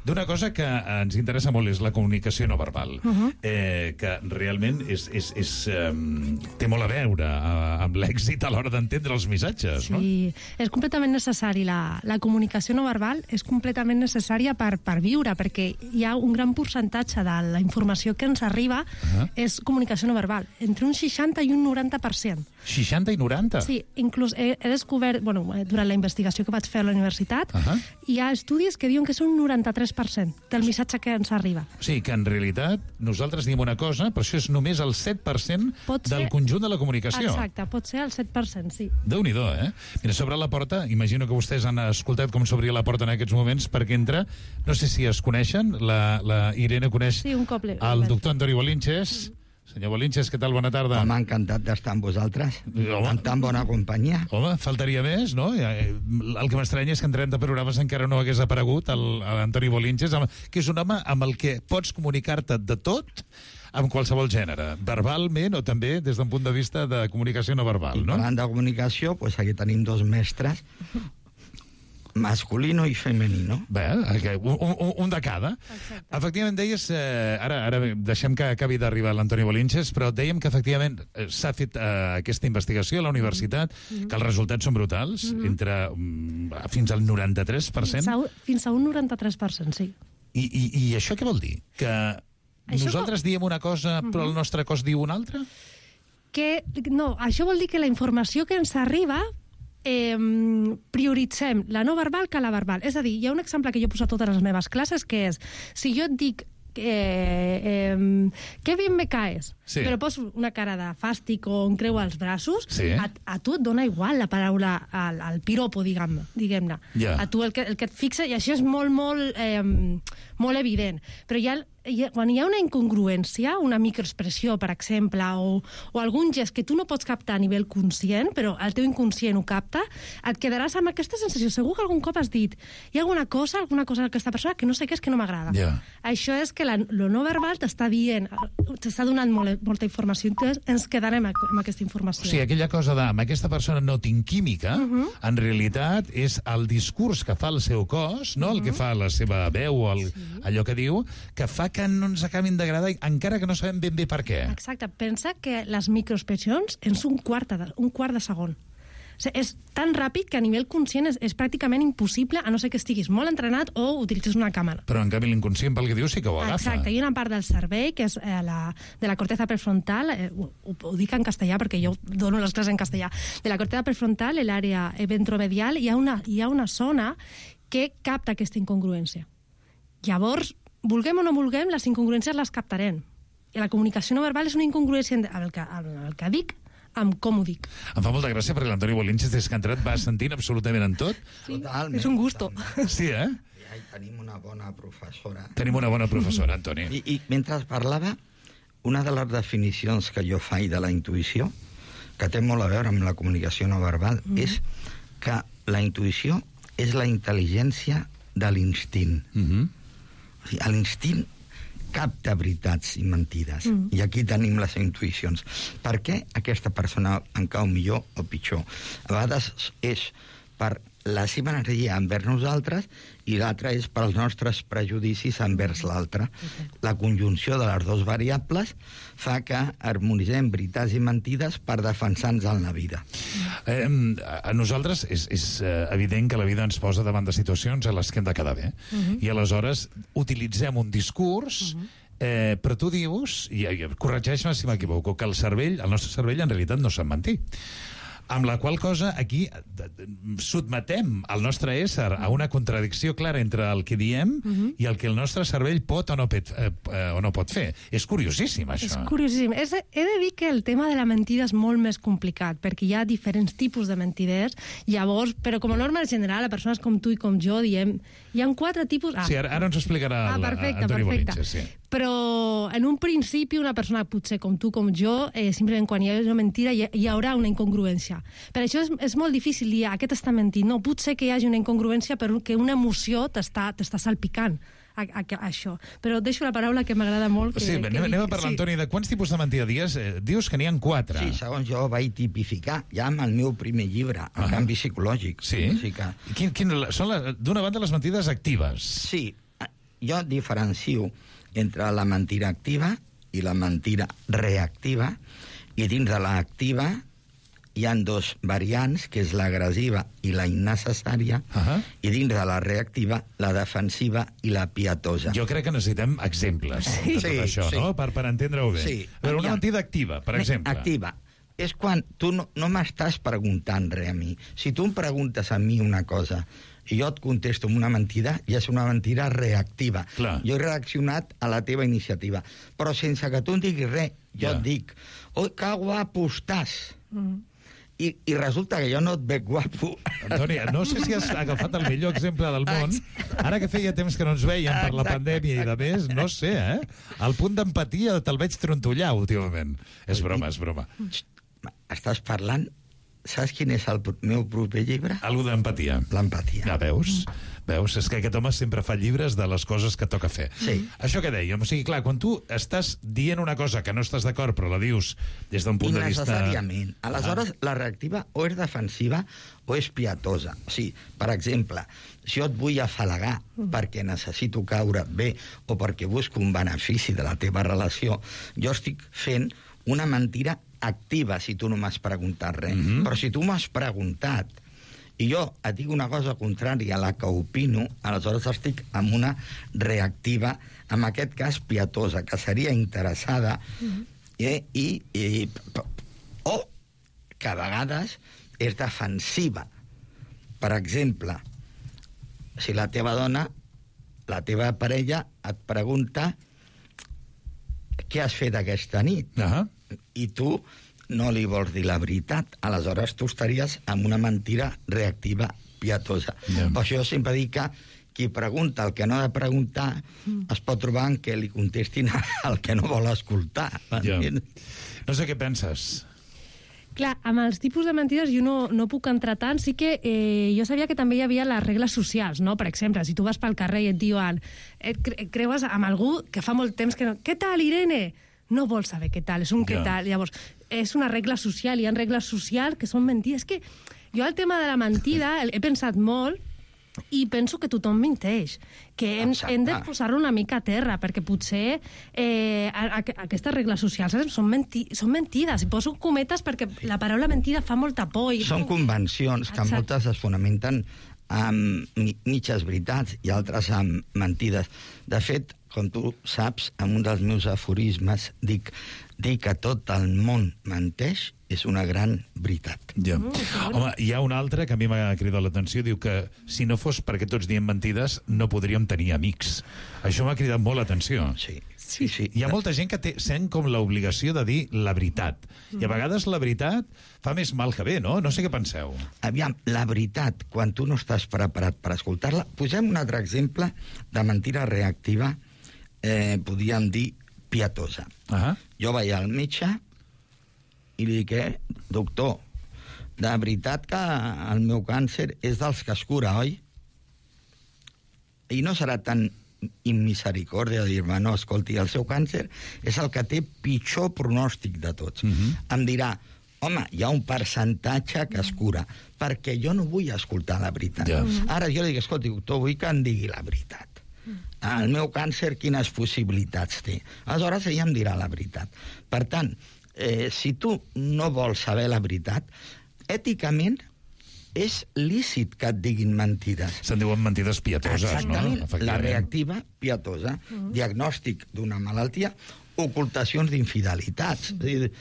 d'una cosa que ens interessa molt, és la comunicació no verbal, uh -huh. eh, que realment és, és, és, um, té molt a veure uh, amb l'èxit a l'hora d'entendre els missatges, sí. no? Sí, és completament necessari. La, la comunicació no verbal és completament necessària per, per viure, perquè hi ha un gran percentatge de la informació que ens arriba uh -huh. és comunicació no verbal, entre un seixanta i un noranta per cent. seixanta i noranta? Sí, inclús he, he descobert, bueno, durant la investigació que vaig fer a la universitat, uh -huh. hi ha estudis que diuen que és un noranta-tres per cent del missatge que ens arriba. O sigui, que en realitat nosaltres diem una cosa, però això és només el set per cent pot del ser... conjunt de la comunicació. Exacte, pot ser el set per cent, sí. Déu-n'hi-do, eh? Mira, sobre la porta, imagino que vostès han escoltat com s'obria la porta en aquests moments perquè entra, no sé si es coneixen, la, la Irene coneix sí, un cop el doctor Antoni Bolinches. Senyor Bolinches, què tal? Bona tarda. Home, encantat d'estar amb vosaltres, home, en tan bona companyia. Home, faltaria més, no? El que m'estranya és que en trenta programes encara no hagués aparegut l'Antoni Bolinches, que és un home amb el que pots comunicar-te de tot, amb qualsevol gènere, verbalment o també des d'un punt de vista de comunicació no verbal, no? I parlant de comunicació, doncs aquí tenim dos mestres, masculino i femenino. Bé, un, un, un de cada. Exacte. Efectivament, deies, eh, ara, ara deixem que acabi d'arribar l'Antoni Bolinches, però dèiem que efectivament eh, s'ha fet eh, aquesta investigació a la universitat, mm-hmm. que els resultats són brutals, mm-hmm. entre um, fins al noranta-tres per cent. Fins a, fins a un noranta-tres per cent, sí. I, i, i això què vol dir? Que això nosaltres com... diem una cosa, però mm-hmm. el nostre cos diu una altra? Que, no, això vol dir que la informació que ens arriba eh, prioritzem la no verbal que la verbal. És a dir, hi ha un exemple que jo he posat a totes les meves classes, que és, si jo et dic eh, eh, que bien me caes, Sí. però pos una cara de fàstic o un creu als braços, Sí. a, a tu et dona igual la paraula al, al piropo, diguem-ne. Diguem Ja. A tu el que, el que et fixa, i això és molt, molt, eh, molt evident, però hi ha, hi ha, quan hi ha una incongruència, una microexpressió, per exemple, o, o algun gest que tu no pots captar a nivell conscient, però el teu inconscient ho capta, et quedaràs amb aquesta sensació. Segur que algun cop has dit hi ha alguna cosa, alguna cosa d'aquesta persona que no sé què és, que no m'agrada. Ja. Això és que la, lo no verbal t'està dient, t'està donant molt, molta informació, entonces ens quedarem amb aquesta informació. O sigui, aquella cosa de amb aquesta persona no tinc química, uh -huh. en realitat és el discurs que fa el seu cos, no? Uh -huh. el que fa la seva veu, el, sí. allò que diu, que fa que no ens acabin d'agradar, encara que no sabem ben bé per què. Exacte. Pensa que les microexpressions és un quart de, un quart de segon. O sigui, és tan ràpid que a nivell conscient és, és pràcticament impossible, a no ser que estiguis molt entrenat o utilitzis una càmera. Però en canvi l'inconscient pel que diu sí que ho agafa. Exacte, hi ha una part del cervell que és eh, la, de la corteza prefrontal, eh, ho, ho dic en castellà perquè jo dono les classes en castellà, de la corteza prefrontal, l'àrea ventromedial, hi ha, una, hi ha una zona que capta aquesta incongruència. Llavors, vulguem o no vulguem, les incongruències les captarem. I la comunicació no verbal és una incongruència amb el que, amb el que dic, amb com ho dic. Em fa molta gràcia perquè l'Antoni Bolinches, des que ha entrat, va sentint absolutament en tot. Sí, Totalment. és un gusto. Sí, eh? I tenim una bona professora. Tenim una bona professora, Antoni. I, i mentre parlava, una de les definicions que jo faig de la intuïció, que té molt a veure amb la comunicació no verbal, mm. és que la intuïció és la intel·ligència de l'instint. Mm -hmm. O sigui, l'instint capta veritats i mentides. Mm. I aquí tenim les intuïcions. Per què aquesta persona en cau millor o pitjor? A vegades és per la seva energia envers nosaltres i l'altra és pels nostres prejudicis envers l'altre. La conjunció de les dues variables fa que harmonitzem veritats i mentides per defensar-nos en la vida. Eh, a nosaltres és, és eh, evident que la vida ens posa davant de situacions a les que hem de quedar bé. Uh -huh. I aleshores utilitzem un discurs... Uh -huh. Eh, però tu dius, i, i corregeix-me si m'equivoco, que el cervell, el nostre cervell en realitat no sap mentir. Amb la qual cosa aquí sotmetem el nostre ésser a una contradicció clara entre el que diem uh -huh. i el que el nostre cervell pot o no, pet, eh, o no pot fer. És curiosíssim, això. És curiosíssim. És, he de dir que el tema de la mentida és molt més complicat, perquè hi ha diferents tipus de mentiders, llavors, però com a norma general, a persones com tu i com jo, diem, hi ha quatre tipus... Ah. Sí, ara, ara ens ho explicarà ah, perfecte, Antoni perfecte. Bolinches, sí. Però en un principi una persona potser com tu, com jo, eh, simplement quan hi ha una mentida hi, hi haurà una incongruència. Per això és, és molt difícil dir aquest està mentint. No, potser que hi hagi una incongruència perquè una emoció t'està t'està salpicant a, a, a això. Però deixo la paraula que m'agrada molt. Que, sí, que anem, dic, anem a parlar, sí. Antoni, de quants tipus de mentida dius? Eh, dius que n'hi ha quatre. Sí, segons jo vaig tipificar ja amb el meu primer llibre, El ah. canvi psicològic. Sí? O sigui que... Quin, quin, són, d'una banda, les mentides actives. Sí, jo diferencio entre la mentida activa i la mentida reactiva, i dins de l'activa hi han dos variants, que és l'agressiva i la innecessària, uh -huh. i dins de la reactiva, la defensiva i la pietosa. Jo crec que necessitem exemples sí. de tot sí, això, sí. no? Per, per entendre-ho bé. Sí. Però una mentida activa, per exemple. Activa. És quan tu no, no m'estàs preguntant res a mi. Si tu em preguntes a mi una cosa i jo et contesto amb una mentida, ja és una mentida reactiva. Clar. Jo he reaccionat a la teva iniciativa. Però sense que tu em diguis res, jo ja. et dic, oi, que guapo estàs. Mm. I, I resulta que jo no et veig guapo. Antoni, no sé si has agafat el millor exemple del món. Ara que feia temps que no ens veiem per la pandèmia i de més, no sé, eh? El punt d'empatia te'l veig trontollar últimament. És broma, és broma. Estàs parlant... Saps quin és el meu proper llibre? Algo d'empatia. L'empatia. Ja veus? Veus? És que aquest home sempre fa llibres de les coses que toca fer. Sí. Això que dèiem, o sigui, clar, quan tu estàs dient una cosa que no estàs d'acord, però la dius des d'un punt de vista... Innecessàriament. Aleshores, ah. la reactiva o és defensiva o és pietosa. O sigui, per exemple, si jo et vull afalagar mm. perquè necessito caure bé o perquè busco un benefici de la teva relació, jo estic fent una mentida activa si tu no m'has preguntat res. Mm-hmm. Però si tu m'has preguntat i jo et dic una cosa contrària a la que opino, aleshores estic amb una reactiva, en aquest cas pietosa, que seria interessada, mm-hmm. eh, i, i, o que a vegades és defensiva. Per exemple, si la teva dona, la teva parella, et pregunta què has fet aquesta nit? Uh-huh. I tu no li vols dir la veritat. Aleshores tu estaries amb una mentida reactiva pietosa. Yeah. Per això sempre dic que qui pregunta el que no ha de preguntar mm. es pot trobar en què li contestin el que no vol escoltar. Yeah. No sé què penses. Clar, amb els tipus de mentides jo no, no puc entrar tant. Sí que eh, jo sabia que també hi havia les regles socials, no? Per exemple, si tu vas pel carrer i et diuen et cre creues amb algú que fa molt temps que no... Què tal, Irene? No vols saber què tal, és un què tal. Llavors, és una regla social, hi ha regles socials que són mentides. És que jo el tema de la mentida he pensat molt i penso que tothom menteix, que hem, hem de posar-ho una mica a terra, perquè potser eh, a, a, aquestes regles socials són, menti són mentides, i poso cometes perquè la paraula mentida fa molta por. I... Són convencions que Exacte. moltes es fonamenten amb mitges veritats i altres amb mentides. De fet, com tu saps, en un dels meus aforismes dic, dir que tot el món menteix és una gran veritat. Ja. Mm, Home, hi ha un altre que a mi m'ha cridat l'atenció, diu que si no fos perquè tots diem mentides no podríem tenir amics. Això m'ha cridat molt l'atenció. Sí. Sí, sí. Hi ha molta gent que té, sent com l'obligació de dir la veritat. I a vegades la veritat fa més mal que bé, no? No sé què penseu. Aviam, la veritat, quan tu no estàs preparat per escoltar-la... Posem un altre exemple de mentira reactiva, eh, podríem dir pietosa. Uh -huh. Jo vaig al metge i li dic, eh, doctor, de veritat que el meu càncer és dels que es cura, oi? I no serà tan immisericòrdia de dir-me, no, escolti, el seu càncer és el que té pitjor pronòstic de tots. Uh-huh. Em dirà, home, hi ha un percentatge que es cura, perquè jo no vull escoltar la veritat. Yeah. Uh-huh. Ara jo li dic, escolti, doctor, vull que em digui la veritat. El meu càncer, quines possibilitats té? Aleshores, ella em dirà la veritat. Per tant, eh, si tu no vols saber la veritat, èticament és lícit que et diguin mentides. Se'n diuen mentides pietoses, Exactament, no? Exactament, la reactiva pietosa, uh-huh. diagnòstic d'una malaltia, ocultacions d'infidelitats. Uh-huh. És dir,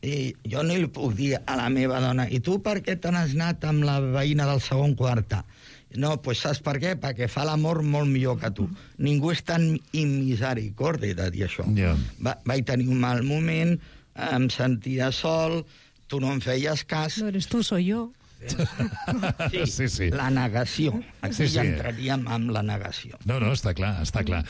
i jo no li puc dir a la meva dona, i tu per què te n'has anat amb la veïna del segon quarta? No, doncs saps per què? Perquè fa l'amor molt millor que tu. Uh-huh. Ningú és tan immisericòrdia de dir això. Yeah. Va, vaig tenir un mal moment, em sentia sol, tu no em feies cas... No eres tu, soy yo. Sí, sí, sí. La negació. Aquí sí, sí. ja entraríem amb la negació. No, no, està clar, està clar.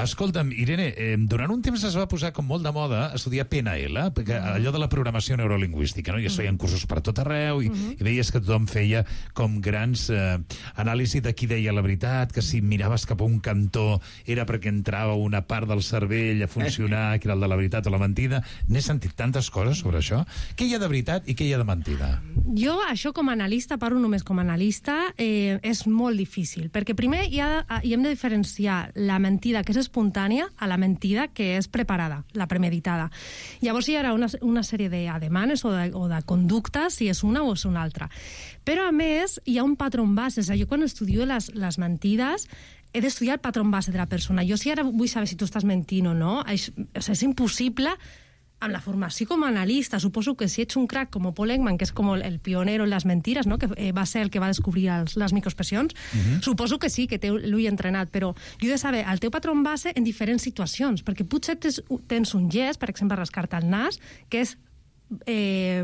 Escolta'm, Irene, eh, durant un temps es va posar com molt de moda estudiar P N L, perquè allò de la programació neurolingüística, no? I es feien cursos per tot arreu i, uh-huh. i veies que tothom feia com grans eh, anàlisis de qui deia la veritat, que si miraves cap a un cantó era perquè entrava una part del cervell a funcionar, que era el de la veritat o la mentida. N'he sentit tantes coses sobre això. Què hi ha de veritat i què hi ha de mentida? Jo, això com a analista, parlo només com a analista, eh, és molt difícil, perquè primer hi, ha, hi hem de diferenciar la mentida que és espontània a la mentida que és preparada, la premeditada. Llavors hi haurà una, una sèrie d'ademanes o, de, o de conductes, si és una o és una altra. Però, a més, hi ha un patró base. És a dir, jo quan estudio les, les mentides he d'estudiar el patró base de la persona. Jo si ara vull saber si tu estàs mentint o no, és, és impossible amb la formació com a analista. Suposo que si ets un crack com Paul Ekman, que és com el pionero en les mentides, no? Que eh, va ser el que va descobrir els, les microexpressions, uh-huh. suposo que sí, que té l'ull entrenat, però jo he de saber el teu patró base en diferents situacions, perquè potser tens, tens un gest, per exemple, rascar-te el nas, que és eh,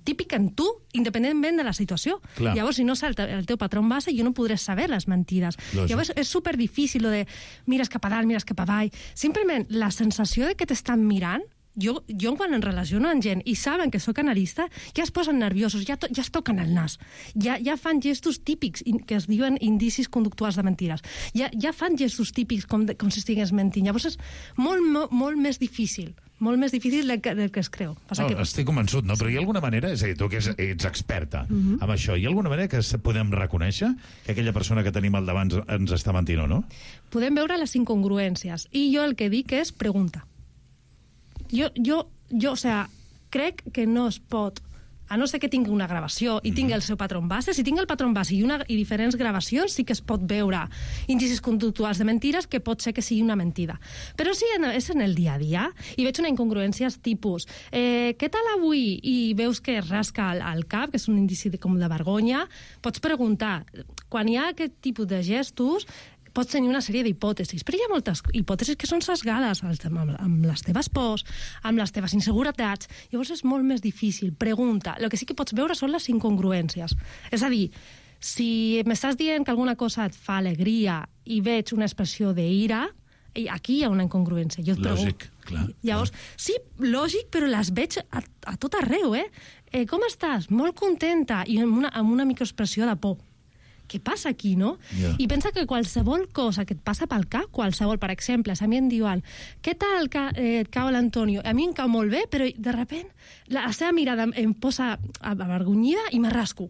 típic en tu, independentment de la situació. Clar. Llavors, si no sé el, te el teu patró base, jo no podré saber les mentides. Lògic. Llavors, és superdifícil lo de mires cap a dalt, mires cap a avall. Simplement, la sensació de que t'estan mirant, Jo, jo quan em relaciono amb gent i saben que sóc analista, ja es posen nerviosos, ja, to, ja es toquen el nas, ja, ja fan gestos típics que es diuen indicis conductuals de mentides, ja, ja fan gestos típics com, de, com si estigués mentint. Llavors és molt, molt, molt més difícil, molt més difícil del que, del que es creu. No, que... Estic convençut, no? Però hi ha alguna manera, és a dir, tu que ets, ets experta uh-huh. amb això, hi ha alguna manera que podem reconèixer que aquella persona que tenim al davant ens està mentint o no? Podem veure les incongruències, i jo el que dic és pregunta. Jo, jo, jo, o sea, crec que no es pot, a no ser que tingui una gravació i tingui el seu patró base, si tingui el patró base i, una, i diferents gravacions, sí que es pot veure indicis conductuals de mentires que pot ser que sigui una mentida. Però si és en el dia a dia i veig una incongruència tipus eh, què tal avui? I veus que es rasca al, al cap, que és un indici de, com de vergonya, pots preguntar. Quan hi ha aquest tipus de gestos, pots tenir una sèrie d'hipòtesis, però hi ha moltes hipòtesis que són sesgades amb, amb les teves pors, amb les teves inseguretats, llavors és molt més difícil. Pregunta. El que sí que pots veure són les incongruències. És a dir, si m'estàs dient que alguna cosa et fa alegria i veig una expressió d'ira, aquí hi ha una incongruència. Jo et lògic, clar. Llavors, sí, lògic, però les veig a, a tot arreu, eh? eh? Com estàs? Molt contenta, i amb una, amb una microexpressió de por. Què passa aquí, no? Yeah. I pensa que qualsevol cosa que et passa pel cap, qualsevol, per exemple, si a mi em diuen què tal ca, eh, et cau l'Antonio? A mi em cau molt bé, però de sobte la seva mirada em posa avergonyida i me rasco.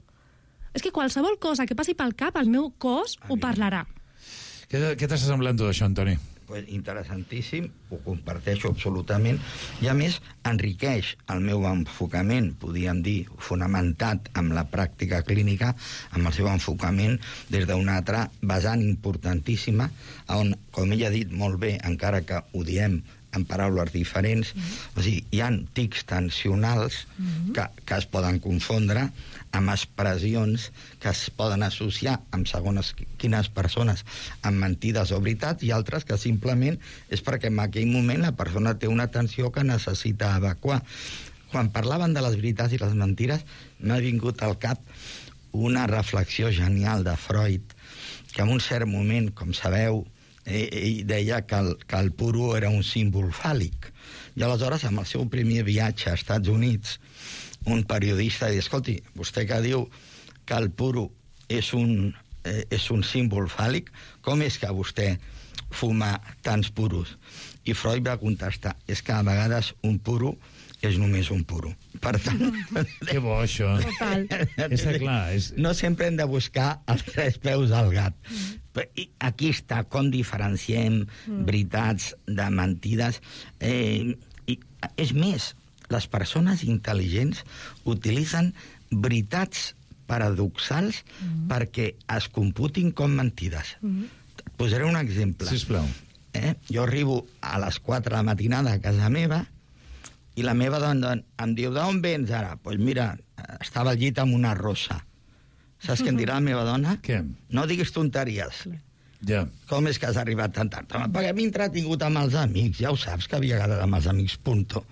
És que qualsevol cosa que passi pel cap, el meu cos ho parlarà. Què, què t'està semblant tot això, Antoni? Pues interessantíssim, ho comparteixo absolutament, i a més enriqueix el meu enfocament, podríem dir, fonamentat amb la pràctica clínica, amb el seu enfocament des d'una altra vessant importantíssima, on, com ella ha dit molt bé, encara que ho diem en paraules diferents, mm-hmm. o sigui, hi ha tics tensionals mm-hmm. que, que es poden confondre amb expressions que es poden associar amb segones quines persones amb mentides o veritats, i altres que simplement és perquè en aquell moment la persona té una tensió que necessita evacuar. Quan parlaven de les veritats i les mentires, m'ha vingut al cap una reflexió genial de Freud, que en un cert moment, com sabeu, ell deia que el, que el puro era un símbol fàl·lic. I aleshores, amb el seu primer viatge a Estats Units, un periodista diu, escolti, vostè que diu que el puro és un, eh, és un símbol fàl·lic, com és que vostè fuma tants puros? I Freud va contestar, és que a vegades un puro és només un puro. Per tant... Que bo, això. Total. És clar, és... No sempre hem de buscar els tres peus al gat. I aquí està com diferenciem mm. veritats de mentides. Eh, i, és més, les persones intel·ligents utilitzen veritats paradoxals mm. perquè es computin com mentides. Mm. Posaré un exemple. Sisplau. Eh? Jo arribo a les quatre de la matinada a casa meva i la meva dona em diu, d'on vens ara? Doncs pues mira, estava al llit amb una rosa. Saps què em dirà la meva dona? Què? No diguis tonteries. Ja. Com és que has arribat tan tard? Perquè m'he entretingut amb els amics, ja ho saps que havia quedat amb els amics, punto.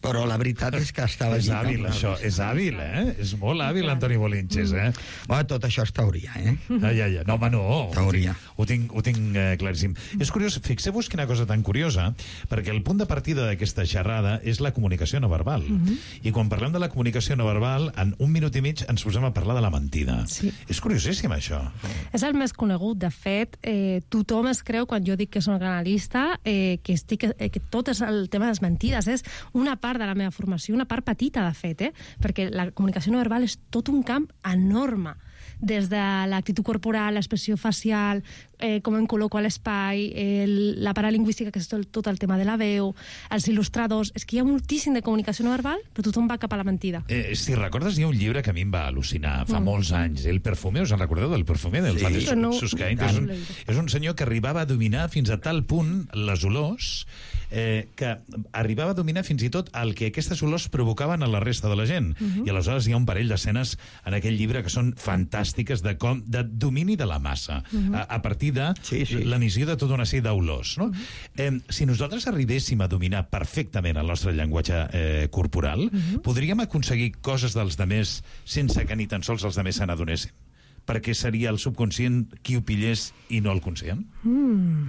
Però la veritat és que estava... És hàbil, això. És hàbil, eh? És molt hàbil, Antoni Bolinches, eh? Bueno, tot això és teoria, eh? Ah, ja, ja. No, home, no. Teoria. Ho tinc, ho tinc eh, claríssim. És curiós, fixeu-vos quina cosa tan curiosa, perquè el punt de partida d'aquesta xerrada és la comunicació no verbal. Uh -huh. I quan parlem de la comunicació no verbal, en un minut i mig ens posem a parlar de la mentida. Sí. És curiosíssim, això. És el més conegut. De fet, eh, tothom es creu, quan jo dic que soc analista, eh, que, estic, eh, que tot és el tema de les mentides. És una part de la meva formació, una part petita, de fet, eh? Perquè la comunicació no verbal és tot un camp enorme. Des de l'actitud corporal, l'expressió facial, eh, com em col·loco a l'espai, el, la paralingüística, que és tot, tot el tema de la veu, els il·lustradors... És que hi ha moltíssim de comunicació no verbal, però tothom va cap a la mentida. Eh, si recordes, hi ha un llibre que a mi em va al·lucinar fa mm. molts anys, El perfume, us en recordeu del perfume del sí. mateix no, Susskind? És, un, és un senyor que arribava a dominar fins a tal punt les olors eh, que arribava a dominar fins i tot el que aquestes olors provocaven a la resta de la gent. Mm-hmm. I aleshores hi ha un parell d'escenes en aquell llibre que són fantàstiques de, com, de domini de la massa, mm-hmm. a, a partir de sí, sí. l'emissió de tota una sèrie d'olors. No? Mm-hmm. eh, si nosaltres arribéssim a dominar perfectament el nostre llenguatge eh, corporal, mm-hmm. podríem aconseguir coses dels demés sense que ni tan sols els demés se n'adonessin? Perquè seria el subconscient qui ho pillés i no el conscient? Mm,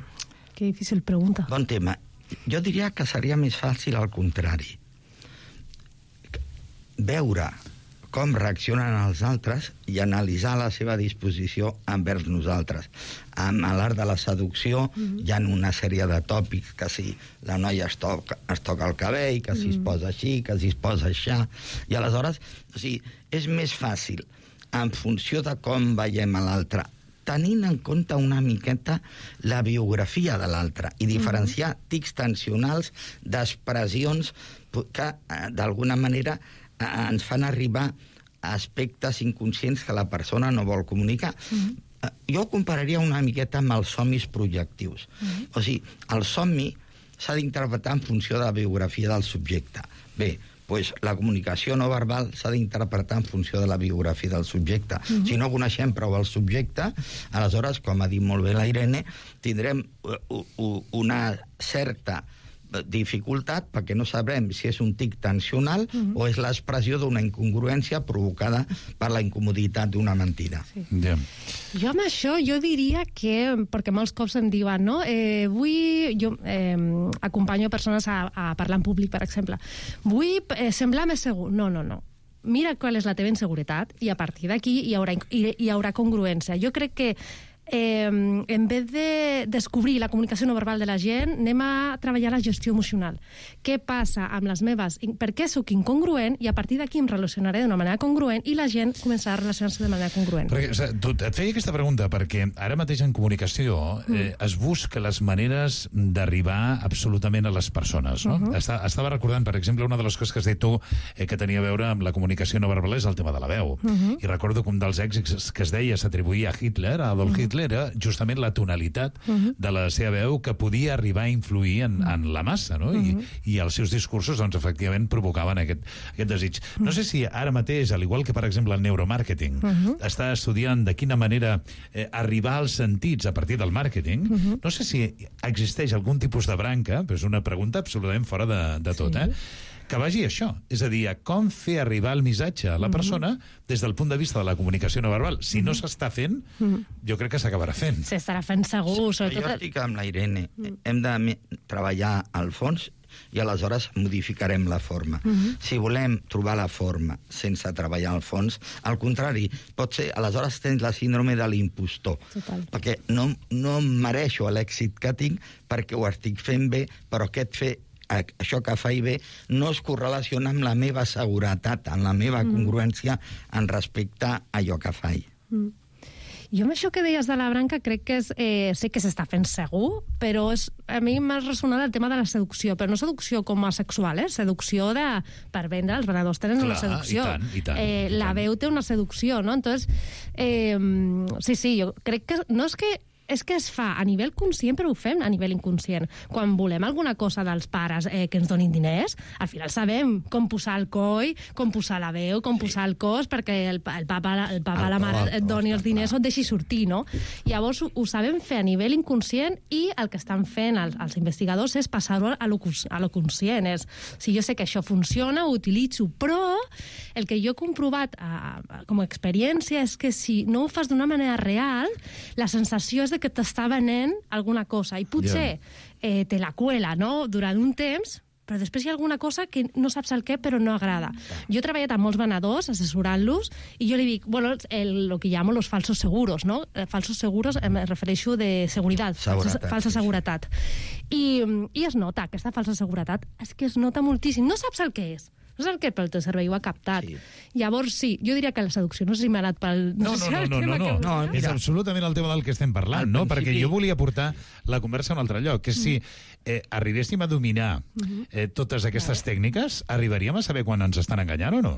que difícil pregunta. Bon tema. Jo diria que seria més fàcil al contrari. Veure com reaccionen els altres i analitzar la seva disposició envers nosaltres. Amb l'art de la seducció mm-hmm. hi ha una sèrie de tòpics, que si la noia es toca, es toca el cabell, que si mm. es posa així, que si es posa així, i aleshores, o sigui, és més fàcil, en funció de com veiem a l'altre, tenint en compte una miqueta la biografia de l'altre i diferenciar mm-hmm. tics tensionals d'expressions que, d'alguna manera, ens fan arribar a aspectes inconscients que la persona no vol comunicar. Mm-hmm. Jo ho compararia una miqueta amb els somnis projectius. Mm-hmm. O sigui, el somni s'ha d'interpretar en funció de la biografia del subjecte. Bé, pues, la comunicació no verbal s'ha d'interpretar en funció de la biografia del subjecte. Mm-hmm. Si no coneixem prou el subjecte, aleshores, com ha dit molt bé la Irene, tindrem una certa dificultat perquè no sabrem si és un tic tensional mm-hmm. o és l'expressió d'una incongruència provocada per la incomoditat d'una mentida. Sí. Yeah. Jo amb això, jo diria que, perquè molts cops em diuen, no? Eh, vull... Jo eh, acompanyo persones a, a parlar en públic, per exemple. Vull eh, semblar més segur. No, no, no. Mira qual és la teva inseguretat i a partir d'aquí hi haurà, hi, hi haurà congruència. Jo crec que Eh, en vez de descobrir la comunicació no verbal de la gent, anem a treballar la gestió emocional. Què passa amb les meves... Per què sóc incongruent? I a partir d'aquí em relacionaré d'una manera congruent i la gent començarà a relacionar-se de manera congruent. Perquè, o sigui, tu, et feia aquesta pregunta perquè ara mateix en comunicació eh, mm. es busca les maneres d'arribar absolutament a les persones, no? Uh-huh. Està, estava recordant, per exemple, una de les coses que has dit tu eh, que tenia a veure amb la comunicació no verbal és el tema de la veu. Uh-huh. I recordo que un dels èxits que es deia s'atribuïa a Hitler, a Adolf uh-huh. Hitler, era justament la tonalitat uh-huh. de la seva veu que podia arribar a influir en, en la massa, no? Uh-huh. I, I els seus discursos, doncs, efectivament, provocaven aquest, aquest desig. Uh-huh. No sé si ara mateix, al igual que, per exemple, el neuromàrqueting, uh-huh. està estudiant de quina manera eh, arribar als sentits a partir del màrqueting, uh-huh. no sé si existeix algun tipus de branca, però és una pregunta absolutament fora de, de tot, sí. eh? que vagi a això, és a dir, a com fer arribar el missatge a la persona mm-hmm. des del punt de vista de la comunicació no verbal. Si mm-hmm. no s'està fent, mm-hmm. jo crec que s'acabarà fent. S'estarà fent segur, sobretot... Jo estic amb la Irene. Mm. Hem de treballar al fons i aleshores modificarem la forma. Mm-hmm. Si volem trobar la forma sense treballar al fons, al contrari, pot ser, aleshores tens la síndrome de l'impostor. Total. Perquè no, no mereixo l'èxit que tinc perquè ho estic fent bé, però aquest fer això que faig bé no es correlaciona amb la meva seguretat, amb la meva mm. congruència en respecte a allò que faig. Mm. Jo amb això que deies de la branca crec que és, eh, sé que s'està fent segur, però és, a mi m'ha ressonat el tema de la seducció, però no seducció com a sexual, eh? Seducció de, per vendre, els venedors tenen Clar, una seducció. I tant, i tant, eh, i la tant. veu té una seducció, no? Entonces, eh, sí, sí, jo crec que no és que és que es fa a nivell conscient, però ho fem a nivell inconscient. Quan volem alguna cosa dels pares eh, que ens donin diners, al final sabem com posar el coll, com posar la veu, com sí. posar el cos, perquè el, el papa, el papa el la mare et doni els diners o et deixi sortir, no? Llavors ho, ho sabem fer a nivell inconscient i el que estan fent els, els investigadors és passar-ho a lo, a lo conscient. És, si jo sé que això funciona, ho utilitzo, però el que jo he comprovat a, a, com a experiència és que si no ho fas d'una manera real, la sensació és de que t'està venent alguna cosa i potser eh, te la cuela, no?, durant un temps, però després hi ha alguna cosa que no saps el què, però no agrada. Jo he treballat amb molts venedors, assessorant-los, i jo li dic, bueno, el, lo que llamo los falsos seguros, no? Falsos seguros, em refereixo de seguretat, seguretat falsa, falsa seguretat. I, I es nota, aquesta falsa seguretat, és que es nota moltíssim. No saps el què és. No és el que el teu cervell ho ha captat. Sí. Llavors, sí, jo diria que la seducció no sé si m'ha anat pel... No, no, no, no, no, no, no. no és absolutament el tema del que estem parlant, no? Perquè jo volia portar la conversa a un altre lloc, que és si eh, arribéssim a dominar eh, totes aquestes tècniques, arribaríem a saber quan ens estan enganyant o no?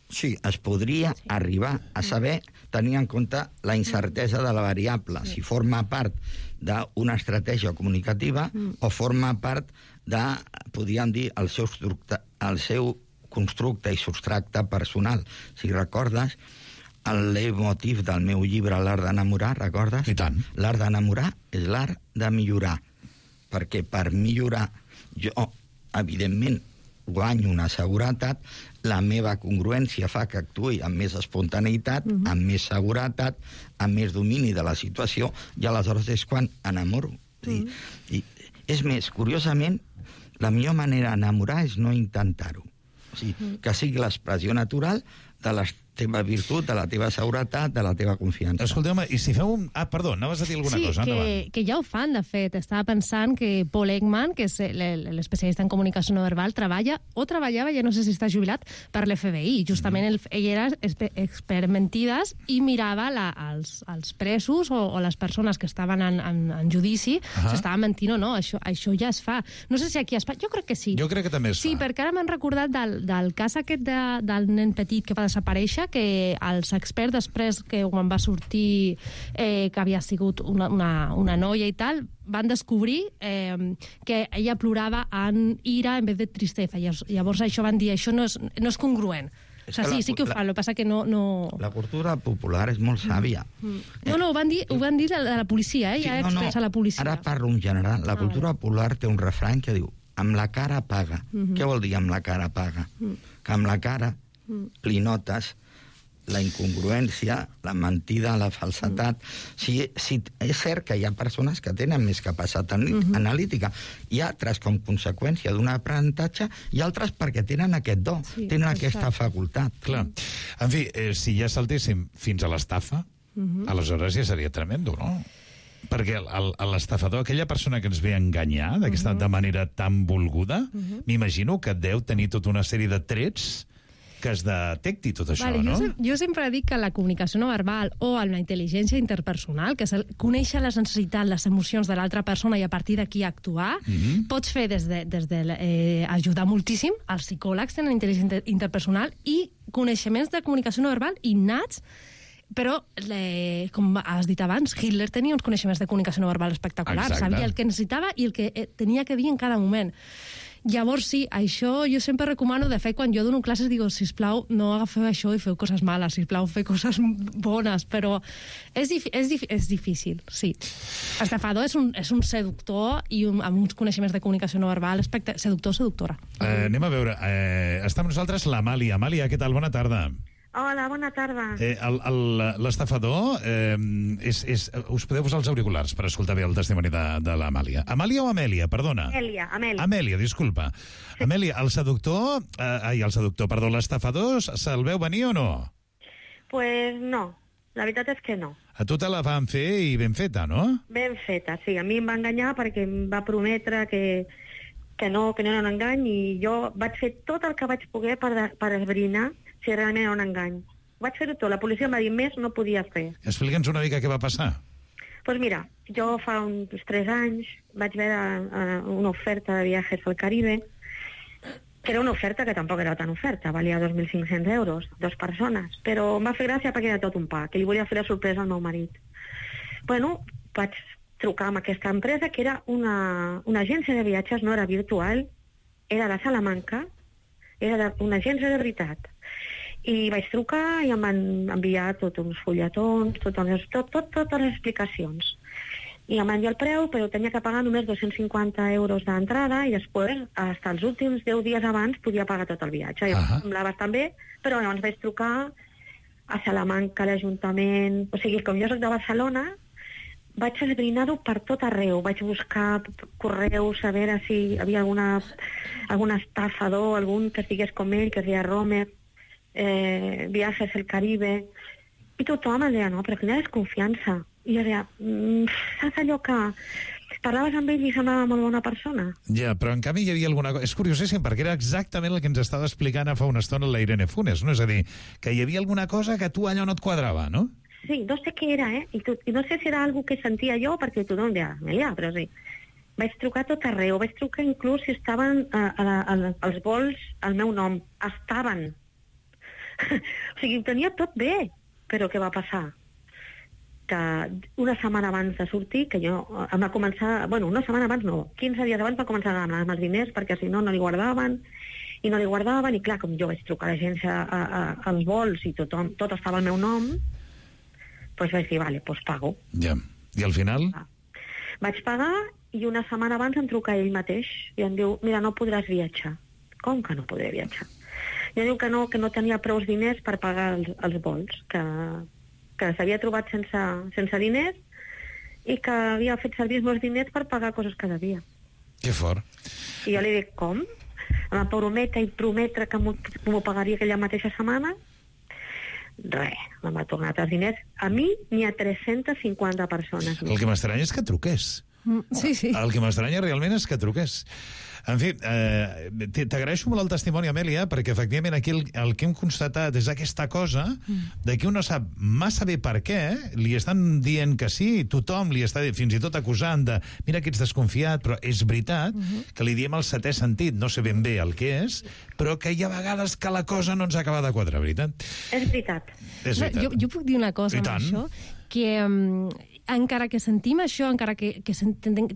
Sí, es podria sí. arribar a saber, tenir en compte la incertesa de la variable, sí. si forma part d'una estratègia comunicativa mm. o forma part de, podríem dir, el seu, el seu constructe i substracte personal. Si recordes, el leitmotiv del meu llibre L'art d'enamorar, recordes? I tant. L'art d'enamorar és l'art de millorar, perquè per millorar jo, evidentment, guanyo una seguretat, la meva congruència fa que actuï amb més espontaneïtat, mm-hmm. amb més seguretat, amb més domini de la situació, i aleshores és quan enamoro. Mm-hmm. I, i, és més, curiosament, la millor manera d'enamorar és no intentar-ho. O sigui, mm-hmm. que sigui l'expressió natural de la teva virtut, de la teva seguretat, de la teva confiança. Escolteu-me, i si feu un... Ah, perdó, anaves a dir alguna sí, cosa, endavant. Sí, que, que ja ho fan, de fet. Estava pensant que Paul Ekman, que és l'especialista en comunicació no verbal, treballa, o treballava, ja no sé si està jubilat, per l'F B I. Justament mm. ell era experimentides i mirava la, els, els presos o, o les persones que estaven en, en, en judici, uh-huh. s'estaven mentint o no. Això, això ja es fa. No sé si aquí a Espanya... Jo crec que sí. Jo crec que també es sí, fa. Sí, perquè ara m'han recordat del, del cas aquest de, del nen petit que fa desaparèixer, que els experts, després que quan va sortir eh, que havia sigut una, una, una noia i tal, van descobrir eh, que ella plorava en ira en vez de tristesa. Llavors això van dir, això no és, no és congruent. O sigui, sí, sí que ho fa, el que passa que no... no... La cultura popular és molt sàvia. Mm. No, no, ho van dir, ho van dir de la policia, eh? Ja sí, no, expressa no. la policia. Ara parlo en general. La cultura ah, popular té un refrany que diu amb la cara paga. Mm-hmm. Què vol dir amb la cara paga? Mm. Que amb la cara mm. li notes la incongruència, la mentida, la falsetat. Mm. Si, si és cert que hi ha persones que tenen més capacitat mm-hmm. analítica, i altres com conseqüència d'un aprenentatge, i altres perquè tenen aquest do, sí, tenen aquesta facultat. Clar. En fi, eh, si ja saltéssim fins a l'estafa, mm-hmm. aleshores ja seria tremendo, no? Perquè l'estafador, aquella persona que ens ve a enganyar d'aquesta uh-huh. de manera tan volguda, uh-huh. m'imagino que deu tenir tota una sèrie de trets que es detecti tot això, vale, no? Jo, jo sempre dic que la comunicació no verbal o la intel·ligència interpersonal, que és el, conèixer les necessitats, les emocions de l'altra persona i a partir d'aquí actuar, mm-hmm. pots fer des de, des de eh, ajudar moltíssim. Els psicòlegs tenen intel·ligència interpersonal i coneixements de comunicació no verbal innats, però, le, com has dit abans, Hitler tenia uns coneixements de comunicació no verbal espectaculars. Exacte. Sabia el que necessitava i el que eh, tenia que dir en cada moment. Llavors, sí, això jo sempre recomano, de fet, quan jo dono classes, digo, sisplau, no agafeu això i feu coses males, sisplau, feu coses bones, però és, és, és difícil, sí. Estafador és un, és un seductor i un, amb uns coneixements de comunicació no verbal, seductor o seductora. Eh, anem a veure, eh, està amb nosaltres l'Amàlia. Amàlia, què tal? Bona tarda. Hola, bona tarda. Eh, L'estafador, eh, és, és, us podeu posar els auriculars per escoltar bé el testimoni de, de l'Amàlia. Amàlia o Amèlia, perdona? Amèlia, Amèlia. Amèlia, disculpa. Sí. Amèlia, el seductor, eh, ai, el seductor, perdó, l'estafador, se'l veu venir o no? Pues no, la veritat és que no. A tu te la van fer i ben feta, no? Ben feta, sí. A mi em va enganyar perquè em va prometre que, que, no, que no era un engany i jo vaig fer tot el que vaig poder per, per esbrinar si realment era un engany. Vaig fer-ho tot. La policia em va dir més, no podia fer. Explica'ns una mica què va passar. Doncs pues mira, jo fa uns tres anys vaig veure uh, una oferta de viatges al Caribe, que era una oferta que tampoc era tan oferta, valia dos mil cinc-cents euros, dues persones, però em va fer gràcia perquè era tot un pa, que li volia fer la sorpresa al meu marit. Bueno, vaig trucar amb aquesta empresa, que era una, una agència de viatges, no era virtual, era de Salamanca, era una agència de veritat. I vaig trucar i em van enviar tots uns fulletons, tot, tot, tot, totes les explicacions. I em van dir el preu, però tenia que pagar només dos-cents cinquanta euros d'entrada i després, fins als últims deu dies abans, podia pagar tot el viatge. I uh-huh. em semblava bastant bé, però llavors vaig trucar a Salamanca, a l'Ajuntament... O sigui, com jo soc de Barcelona, vaig esbrinar-ho per tot arreu. Vaig buscar correus, a veure si hi havia alguna, algun estafador, algun que estigués com ell, que es deia Romer, eh, viatges al Caribe, i tothom em deia, no, però quina desconfiança. I jo deia, mmm, saps allò que parlaves amb ell i semblava molt bona persona? Ja, però en canvi hi havia alguna cosa... És curiosíssim, perquè era exactament el que ens estava explicant fa una estona la Irene Funes, no? És a dir, que hi havia alguna cosa que tu allò no et quadrava, no? Sí, no sé què era, eh? I, tu, i no sé si era algo que sentia jo, perquè tothom deia, ja, però sí. Vaig trucar tot arreu, vaig trucar inclús si estaven a, a, a, als vols al meu nom. Estaven. O sigui, ho tenia tot bé, però què va passar? Que una setmana abans de sortir, que jo em va començar... Bueno, una setmana abans no, quinze dies abans va començar a demanar els diners, perquè si no, no li guardaven, i no li guardaven, i clar, com jo vaig trucar a l'agència als vols i tothom, tot estava al meu nom, doncs vaig dir, vale, doncs pago. Ja. I al final? Ah. Vaig pagar i una setmana abans em truca ell mateix i em diu, mira, no podràs viatjar. Com que no podré viatjar? I em diu que no, que no tenia prou diners per pagar els, els vols, que, que s'havia trobat sense, sense diners i que havia fet servir els meus diners per pagar coses que devia. Que fort. I jo li dic, com? Em va prometre i prometre que m'ho pagaria aquella mateixa setmana. Res, em va tornar els diners. A mi ni a tres-centes cinquanta persones. El que m'estranya és que truqués. Sí, sí. El que m'estranya realment és que truqués. En fi, eh, t'agraeixo molt el testimoni, Amèlia, perquè efectivament aquí el, el que hem constatat és aquesta cosa de que un no sap massa bé per què, li estan dient que sí, tothom li està fins i tot acusant de mira que ets desconfiat, però és veritat que li diem el setè sentit, no sé ben bé el que és, però que hi ha vegades que la cosa no ens acaba de quadrar, veritat? És veritat. És veritat. Jo, jo puc dir una cosa amb això, que um, encara que sentim això, encara que, que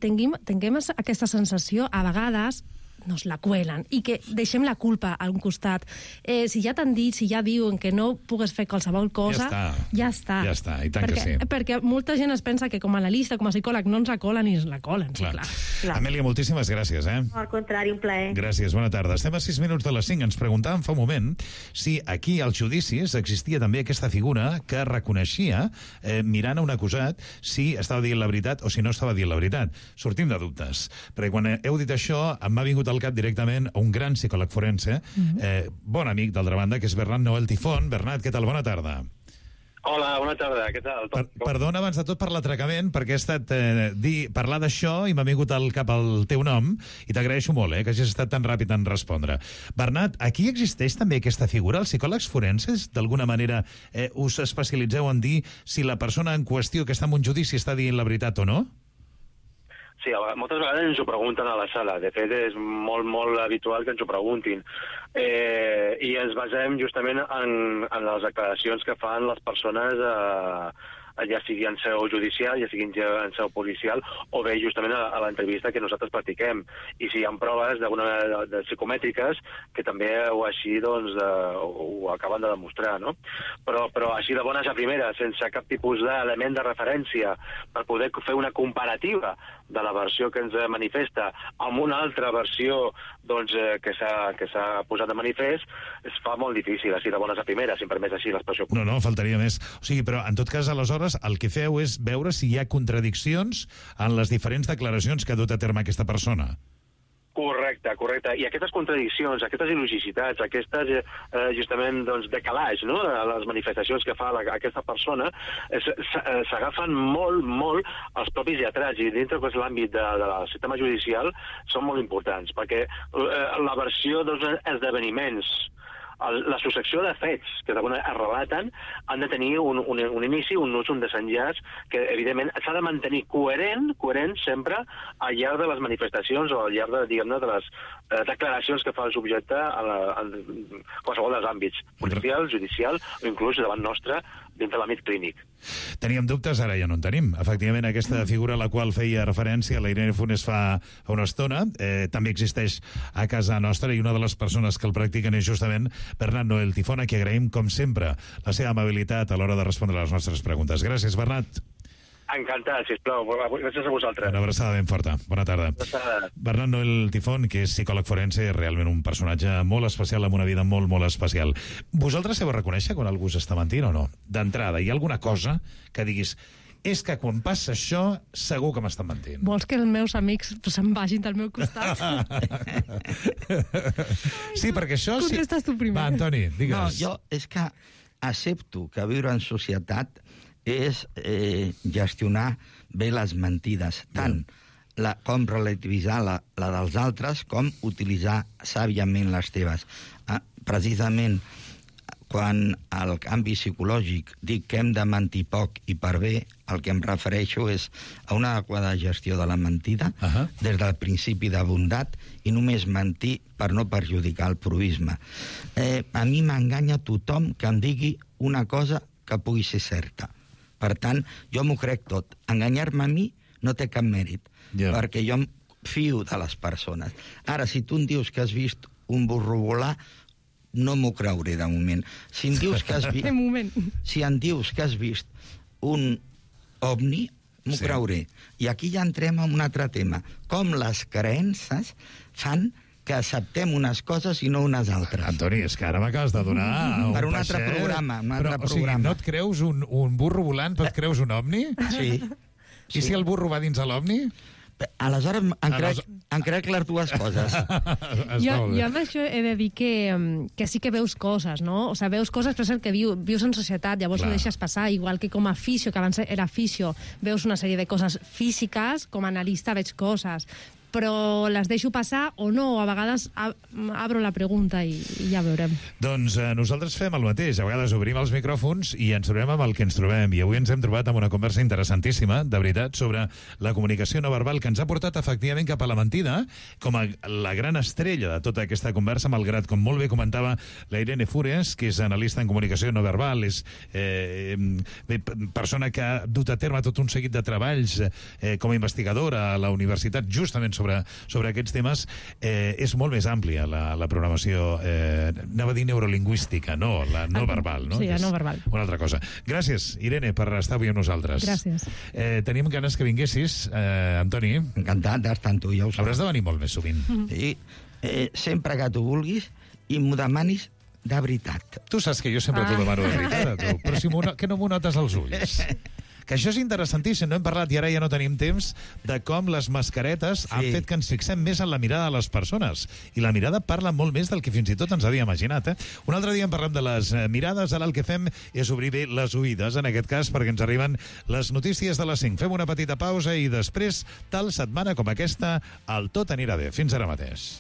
tinguem, tinguem aquesta sensació, a vegades nos la cuelen i que deixem la culpa a un costat. Eh, si ja t'han dit, si ja diuen que no pugues fer qualsevol cosa, ja està. Ja està. Ja està, i tant perquè, que sí. Perquè molta gent es pensa que com a analista, com a psicòleg, no ens la colen i ens la colen. Clar. Sí, clar. clar. Amèlia, moltíssimes gràcies, eh? Al contrari, un plaer. Gràcies, bona tarda. Estem a sis minuts de les cinc. Ens preguntàvem fa un moment si aquí als judicis existia també aquesta figura que reconeixia, eh, mirant a un acusat, si estava dient la veritat o si no estava dient la veritat. Sortim de dubtes. Perquè quan heu dit això, m'ha vingut al cap directament un gran psicòleg forense, eh, bon amic d'altra banda, que és Bernat Noel Tifón. Bernat, què tal? Bona tarda. Hola, bona tarda, què tal? Per, perdona abans de tot per l'atracament, perquè he estat eh, dir, parlar d'això i m'ha vingut al cap el teu nom, i t'agraeixo molt, eh, que hagis estat tan ràpid en respondre. Bernat, aquí existeix també aquesta figura? Els psicòlegs forenses, d'alguna manera, eh, us especialitzeu en dir si la persona en qüestió que està en un judici està dient la veritat o no? Sí, moltes vegades ens ho pregunten a la sala. De fet, és molt, molt habitual que ens ho preguntin. Eh, I ens basem justament en, en les declaracions que fan les persones, eh, ja sigui en seu judicial, ja sigui en seu policial, o bé justament a, a l'entrevista que nosaltres practiquem. I si hi ha proves d'alguna de, de psicomètriques que també o així doncs, de, ho, ho acaben de demostrar, no? Però, però així de bones a primeres, sense cap tipus d'element de referència, per poder fer una comparativa de la versió que ens manifesta amb una altra versió doncs, eh, que s'ha que s'ha posat de manifest, es fa molt difícil, així de bones a primeres, si em permets així l'expressió. No, no, faltaria més. O sigui, però en tot cas, aleshores, el que feu és veure si hi ha contradiccions en les diferents declaracions que ha dut a terme aquesta persona. Correcte, correcte. I aquestes contradiccions, aquestes il·logicitats, aquestes, eh, justament, doncs, decalats, no?, les manifestacions que fa la, aquesta persona, s'agafen molt, molt els propis lletrats, i dintre de l'àmbit de, de del sistema judicial són molt importants, perquè eh, la versió dels esdeveniments, la successió de fets que d'alguna es relaten han de tenir un, un, un inici, un nus, un desenllaç que, evidentment, s'ha de mantenir coherent, coherent sempre al llarg de les manifestacions o al llarg de, diguem-ne, de les eh, declaracions que fa el subjecte en, en qualsevol dels àmbits, policial, judicial o inclús davant nostre dins de l'àmbit clínic. Teníem dubtes, ara ja no en tenim. Efectivament, aquesta figura a la qual feia referència la Irene Funes fa, fa una estona eh, també existeix a casa nostra, i una de les persones que el practiquen és justament Bernat Noel Tifón, a qui agraïm, com sempre, la seva amabilitat a l'hora de respondre a les nostres preguntes. Gràcies, Bernat. Encantat, sisplau. Gràcies a vosaltres. Una abraçada ben forta. Bona tarda. Abraçada. Bernat Noel Tifón, que és psicòleg forense, és realment un personatge molt especial, amb una vida molt, molt especial. Vosaltres sabeu reconèixer quan algú s'està mentint o no? D'entrada, hi ha alguna cosa que diguis és que quan passa això, segur que m'estan mentint. Vols que els meus amics se'n vagin del meu costat? Sí, perquè això... Contestes tu primer. Va, Antoni, digues. No, jo és que accepto que viure en societat és eh, gestionar bé les mentides, tant la, com relativitzar la, la dels altres, com utilitzar sàviament les teves. Ah, precisament, quan al canvi psicològic dic que hem de mentir poc i per bé, el que em refereixo és a una adequada gestió de la mentida, uh-huh. des del principi de bondat, i només mentir per no perjudicar el proisme. Eh, a mi m'enganya tothom que em digui una cosa que pugui ser certa. Per tant, jo m'ho crec tot. Enganyar-me a mi no té cap mèrit, yeah. perquè jo em fio de les persones. Ara, si tu em dius que has vist un burro volar, no m'ho creuré de moment. Si em dius que has vist... De moment. Si em dius que has vist un ovni, m'ho sí. creuré. I aquí ja entrem en un altre tema. Com les creences fan que acceptem unes coses i no unes altres. Antoni, és que ara m'acabes de donar un per un altre peixet. programa. Un altre Però, o programa. sigui, no et creus un, un burro volant, però et creus un ovni? Sí. I sí. si el burro va dins de l'ovni? Aleshores em crec, em crec les dues coses. jo, jo amb això he de dir que, que sí que veus coses, no? O sigui, veus coses, però és el que viu, vius en societat, llavors Clar. Ho deixes passar, igual que com a fisio, que abans era fisio, veus una sèrie de coses físiques, com a analista veig coses, però les deixo passar o no, o a vegades abro la pregunta i, i ja veurem. Doncs eh, nosaltres fem el mateix, a vegades obrim els micròfons i ens trobem amb el que ens trobem, i avui ens hem trobat amb una conversa interessantíssima, de veritat, sobre la comunicació no verbal, que ens ha portat efectivament cap a la mentida, com a la gran estrella de tota aquesta conversa, malgrat, com molt bé comentava la Irene Fures, que és analista en comunicació no verbal, és eh, persona que ha dut a terme tot un seguit de treballs eh, com a investigadora a la universitat, justament sobre, sobre aquests temes, eh, és molt més àmplia la, la programació, eh, anava a dir neurolingüística, no, la no verbal, no? Sí, la És no verbal. Una altra cosa. Gràcies, Irene, per estar avui amb nosaltres. Gràcies. Eh, tenim ganes que vinguessis, eh, Antoni. Encantat d'estar amb tu, ja ho saps. Hauràs de venir molt més sovint. Sí, eh, sempre que tu vulguis i m'ho demanis de veritat. Tu saps que jo sempre t'ho demano de veritat, a tu, però si no, que no m'ho notes als ulls. Que això és interessantíssim, no hem parlat i ara ja no tenim temps de com les mascaretes sí. han fet que ens fixem més en la mirada de les persones. I la mirada parla molt més del que fins i tot ens havia imaginat. Eh? Un altre dia en parlem de les mirades, ara el que fem és obrir bé les oïdes, en aquest cas, perquè ens arriben les notícies de les cinc. Fem una petita pausa i després, tal setmana com aquesta, el tot anirà bé. Fins ara mateix.